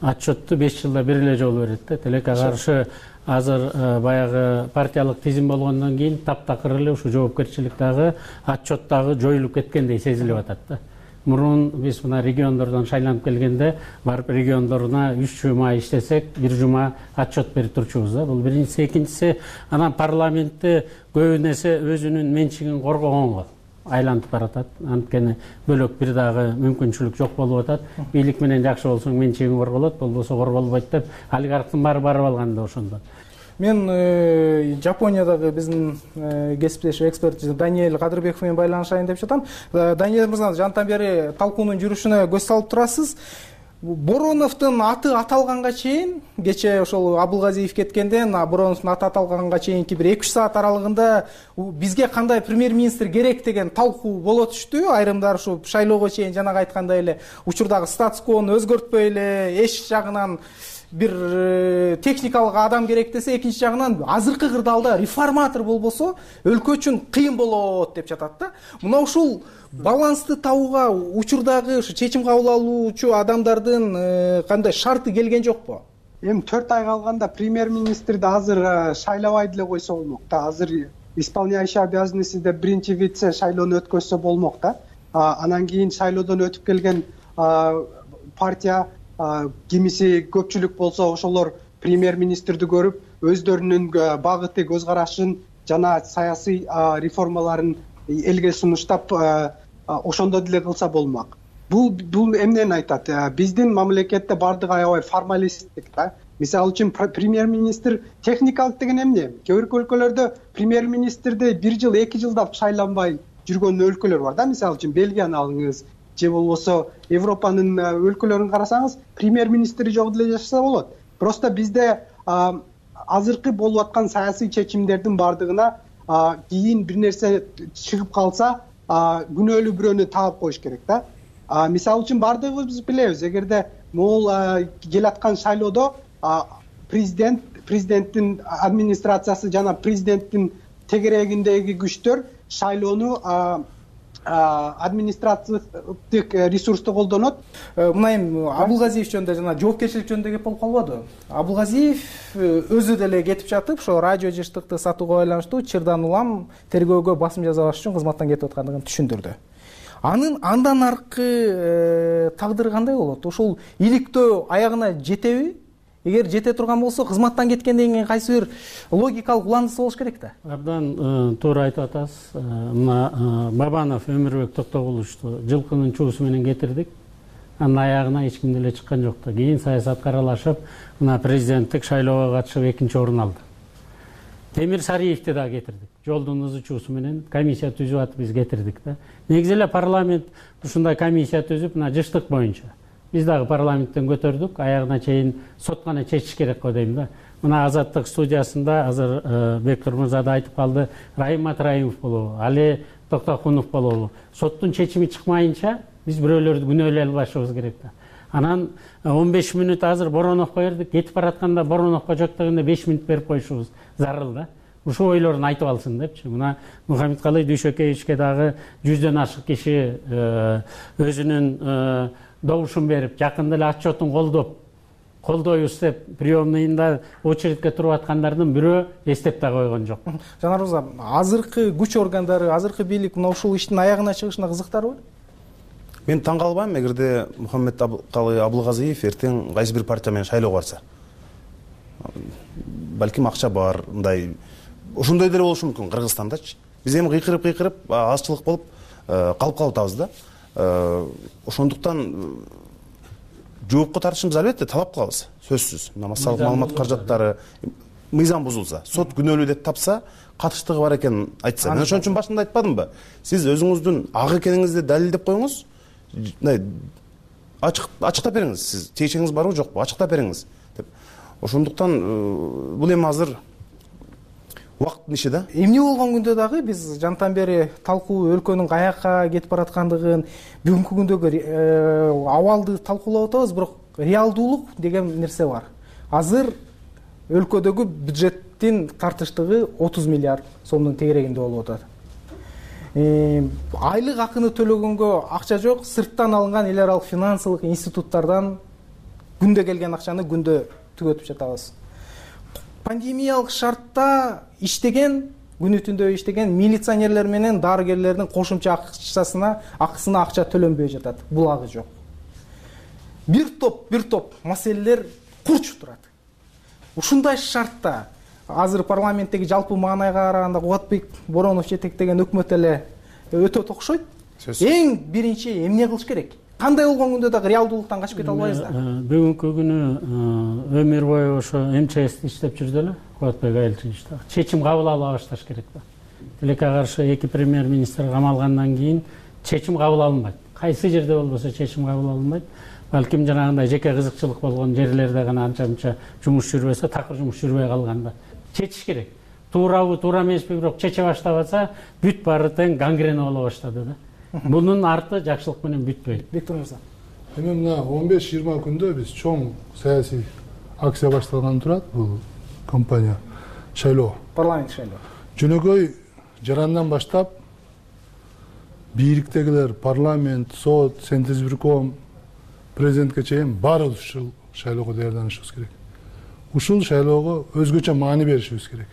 Speaker 19: Отчетту беш жылда бир эле жолу берет да. Тилекке каршы азыр баягы партиялык тизим болгондон кийин таптакыр эле ушу жоопкерчилик дагы, отчет дагы жоюлуп кеткендей сезилип атат да. Мурун биз мына региондордон шайланып келгенде барып региондоруна үч жума иштесек, бир жума отчет берип турчубуз да. Бул биринчиси, экинчиси, анан парламентти көбүн эсе өзүнүн менчигин коргогонго айланып баратат. Анткени бөлөк бир дагы мүмкүнчүлүк жок болуп атат. Бийлик менен жакшы болсоң менчигиң корголот, болбосо корголбойт деп олигархтын баары барып алган да ошондон.
Speaker 18: Мен Жапониядагы биздин кесиптеш эксперт Даниэль Кадырбеков менен байланышайын деп жатам. Даниэль мырза, жантан бери талкуунун жүрүшүнө көз салып турасыз. Бороновдун аты аталганга чейин, кече ошол Абылгазиев кеткенден Бороновдун аты аталганга чейинки бир эки үч саат аралыгында бизге кандай премьер-министр керек деген талкуу боло түштү. Айрымдар ушу шайлоого чейин жанагы айткандай эле учурдагы статус-квону өзгөртпөй эле эч жагынан бир техникалык адам керек десе, экинчи жагынан азыркы кырдаалда реформатор болбосо өлкө үчүн кыйын болот деп жатат да. Мына ушул балансты табууга учурдагы ушу чечим кабыл алуучу адамдардын кандай шарты келген жокпу?
Speaker 9: Эми төрт ай калганда премьер-министрди азыр шайлабай деле койсо болмок да. Азыр исполняющий обязанности деп биринчи вице шайлоону өткөзсө болмок да. Анан кийин шайлоодон өтүп келген партия кимиси көпчүлүк болсо ошолор премьер-министрди көрүп, өздөрүнүн багыты, көз карашын жана саясий реформаларын элге сунуштап ошондо деле кылса болмок. Бул бул эмнени айтат? Биздин мамлекетте бардыгы аябай формалисттик да. Мисалы үчүн премьер-министр техникалык деген эмне? Кээ бир өлкөлөрдө премьер-министрди бир жыл, эки жылдап шайланбай жүргөн өлкөлөр бар да. Мисалы үчүн Бельгияны алыңыз, же болбосо Европанын өлкөлөрүн карасаңыз, премьер-министри жок деле жашаса болот. Просто бизде азыркы болуп аткан саясий чечимдердин бардыгына кийин бир нерсе чыгып калса, күнөөлүү бирөөнү таап коюш керек да. Мисалы үчүн бардыгыбыз билебиз, эгерде могул келаткан шайлоодо президент, президенттин администрациясы жана президенттин тегерегиндеги күчтөр шайлоону административдик ресурсту колдонот.
Speaker 18: Мына эми Абылгазиев жөнүндө жана жоопкерчилик жөнүндө кеп болуп калбадыбы? Абылгазиев өзү деле кетип жатып, ошо радио жыштыкты сатууга байланыштуу чырдан улам тергөөгө басым жасабаш үчүн кызматтан кетип аткандыгын түшүндүрдү. Анын андан аркы тагдыры кандай болот? Ошол иликтөө аягына жетеби? Эгер жете турган болсо, кызматтан кеткенден кийин кайсы бир логикалык уландысы болуш керек да.
Speaker 19: Абдан туура айтып атасыз. Мына Бабанов Өмүрбек Токтогуловичту жылкынын чуусу менен кетирдик. Анын аягына эч ким деле чыккан жок да. Кийин саясатка аралашып, мына президенттик шайлоого катышып экинчи орун алды. Темир Сариевди да кетирдик. Жолдун ызы чуусу менен комиссия түзүп атып биз кетирдик да. Негизи эле парламент ушундай комиссия түзүп, мына жыштык боюнча биз дагы парламенттен көтөрдүк, аягына чейин сот гана чечиш керек го дейм да. Мына Азаттык студиясында азыр Бектур мырза да айтып калды, Райым Матраимов болобу, Али Токтокунов болобу. Соттун чечими чыкмайынча биз бирөөлөрдү күнөөлөй албашыбыз керек да. Анан он беш мүнөт азыр Бороновго бердик, кетип баратканда Бороновго жок дегенде беш мүнөт берип коюшубуз зарыл да. Ушул ойлорун айтып алсын депчи. Мына Мухаммедкалый Дүйшөкеевичке дагы жүздөн ашык киши өзүнүн добушун берип, жакында эле отчетун колдоп, колдойбуз деп приемныйында очередке туруп аткандардын бирөө эстеп да койгон жок.
Speaker 18: Жанар мырза, азыркы күч органдары, азыркы бийлик мына ушул иштин аягына чыгышына кызыктарбы?
Speaker 20: Мен таң калбайм, эгерде Мухаммедкалый Абылгазиев эртең кайсы бир партия менен шайлоого барса. Балким акча бар, мындай ошондой деле болушу мүмкүн Кыргызстандачы. Биз эми кыйкырып-кыйкырып азчылык болуп калып калып атабыз да. Ошондуктан жоопко тартышыбыз албетте талап кылабыз, сөзсүз. Массалык маалымат каражаттары мыйзам бузулса, сот күнөөлүү деп тапса, катыштыгы бар экенин айтса. Мен ошон үчүн башында айтпадымбы? Сиз өзүңүздүн ак экениңизди далилдеп коюңуз. Ачык ачыктап бериңиз. Сиз тиешеңиз барбы жокпу? Ачыктап бериңиз деп. Ошондуктан бул эми азыр убакыттын иши да.
Speaker 18: Эмне болгон күндө дагы биз жантан бери талкуу өлкөнүн каякка кетип бараткандыгын, бүгүнкү күндөгү абалды талкуулап атабыз, бирок реалдуулук деген нерсе бар. Азыр өлкөдөгү бюджеттин тартыштыгы отуз миллиард сомдун тегерегинде болуп атат. Айлык акыны төлөгөнгө акча жок, сырттан алынган эл аралык финансылык институттардан күндө келген акчаны күндө түгөтүп жатабыз. Пандемиялык шартта иштеген, күнү түндө иштеген милиционерлер менен дарыгерлердин кошумча акчасына, акысына акча төлөнбөй жатат. Булагы жок. Бир топ, бир топ маселелер курчуп турат. Ушундай шартта азыр парламенттеги жалпы маанайга караганда Кубатбек Боронов жетектеген өкмөт эле өтө окшойт. Эң биринчи эмне кылыш керек? Кандай болгон күндө дагы реалдуулуктан качып кете албайбыз да.
Speaker 19: Бүгүнкү күнү өмүр бою ошо эм че эсти иштеп жүрдү эле, Кубатбек Айылчиевич. Чечим кабыл ала башташ керек да. Тилекке каршы эки премьер-министр камалгандан кийин чечим кабыл алынбайт. Кайсы жерде болбосо чечим кабыл алынбайт. Балким жанагындай жеке кызыкчылык болгон жерлерде гана анча-мынча жумуш жүрбөсө, такыр жумуш жүрбөй калганда чечиш керек. Туурабы, туура эмеспи, бирок чече баштап атса, бүт баары тең гангрена боло баштады да. Бунун арты жакшылык менен бүтпөйт.
Speaker 18: Бектур мырза.
Speaker 21: Эми мына он беш жыйырма күндө биз чоң саясий акция башталганы турат. Бул компания шайлоо.
Speaker 18: Парламент шайлоо.
Speaker 21: Жөнөкөй жарандан баштап бийликтегилер, парламент, сот, Сентезбирком, президентке чейин баары ушул шайлоого даярданышыбыз керек. Ушул шайлоого өзгөчө маани беришибиз керек.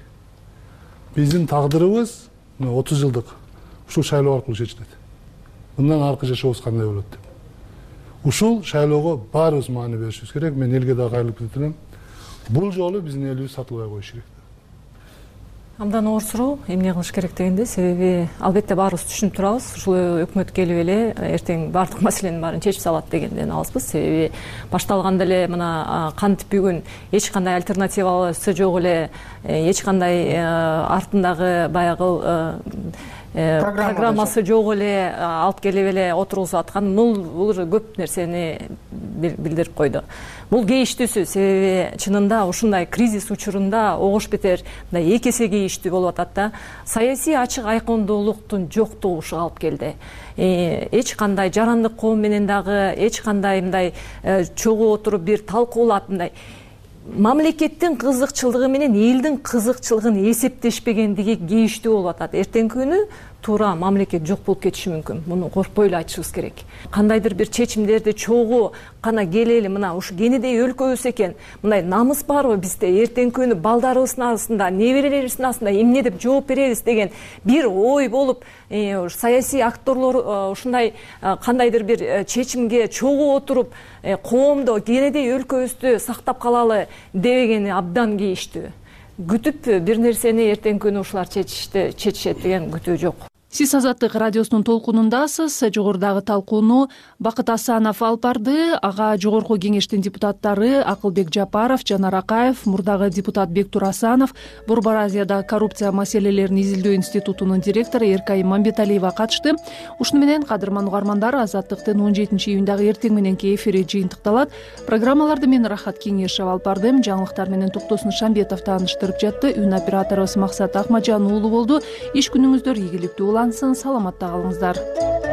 Speaker 21: Биздин тагдырыбыз отуз жылдык ушул шайлоо аркылуу чечилет. Мындан аркы жашообуз кандай болот деп. Ушул шайлоого баарыбыз маани беришибиз керек. Мен элге да кайрылып кетет элем. Бул жолу биздин элибиз сатылбай коюш керек.
Speaker 2: Абдан оор суроо, эмне кылыш керек дегенде, себеби албетте баарыбыз түшүнүп турабыз. Ушул өкмөт келип эле эртең баардык маселенин баарын чечип салат дегенден алыспыз. Себеби башталганда эле мына кантип бүгүн эч кандай альтернативасы жок эле, эч кандай артындагы баягы программасы жок эле алып келип эле отургузуп аткан, бул көп нерсени билдирип койду. Бул кейиштүүсү, себеби чынында ушундай кризис учурунда огош бетер мындай эки эсе кейиштүү болуп атат да. Саясий ачык айкондуулуктун жоктугу ушуга алып келди. Эч кандай жарандык коом менен дагы эч кандай мындай чогуу отуруп бир талкуулап мындай мамлекеттин кызыкчылыгы менен элдин кызыкчылыгын эсептешпегендиги кейиштүү болуп атат. Эртеңки күнү туура мамлекет жок болуп кетиши мүмкүн. Муну коркпой эле айтышыбыз керек. Кандайдыр бир чечимдерди чогуу гана келели, мына ушу кенедей өлкөбүз экен, мындай намыс барбы бизде, эртеңки күнү балдарыбыздын арасында, неберелерибиздин арасында эмне деп жооп беребиз деген бир ой болуп, саясий акторлор ушундай кандайдыр бир чечимге чогуу отуруп, коомдо кенедей өлкөбүздү сактап калалы дебегени абдан кейиштүү. Күтүп бир нерсени эртеңки күнү ушулар чечишет деген күтүү жок.
Speaker 1: Сиз Азаттык радиосунун толкунундасыз. Жогорудагы талкууну Бакыт Асанов алып барды. Ага жогорку кеңештин депутаттары Акылбек Жапаров, Жанар Акаев, мурдагы депутат Бектур Асанов, Борбор Азияда коррупция маселелерин изилдөө институтунун директору Эркай Мамбеталиева катышты. Ушуну менен кадырман угармандар, Азаттыктын он жетинчи июндагы эртең мененки эфири жыйынтыкталат. Программаларды мен Рахат Кеңешев алып бардым. Жаңылыктар менен Токтосун Шамбетов тааныштырып жатты. Үн операторубуз Максат Акмажан уулу болду. Иш күнүңүздөр ийгиликтүү улансын. Саламатта калыңыздар.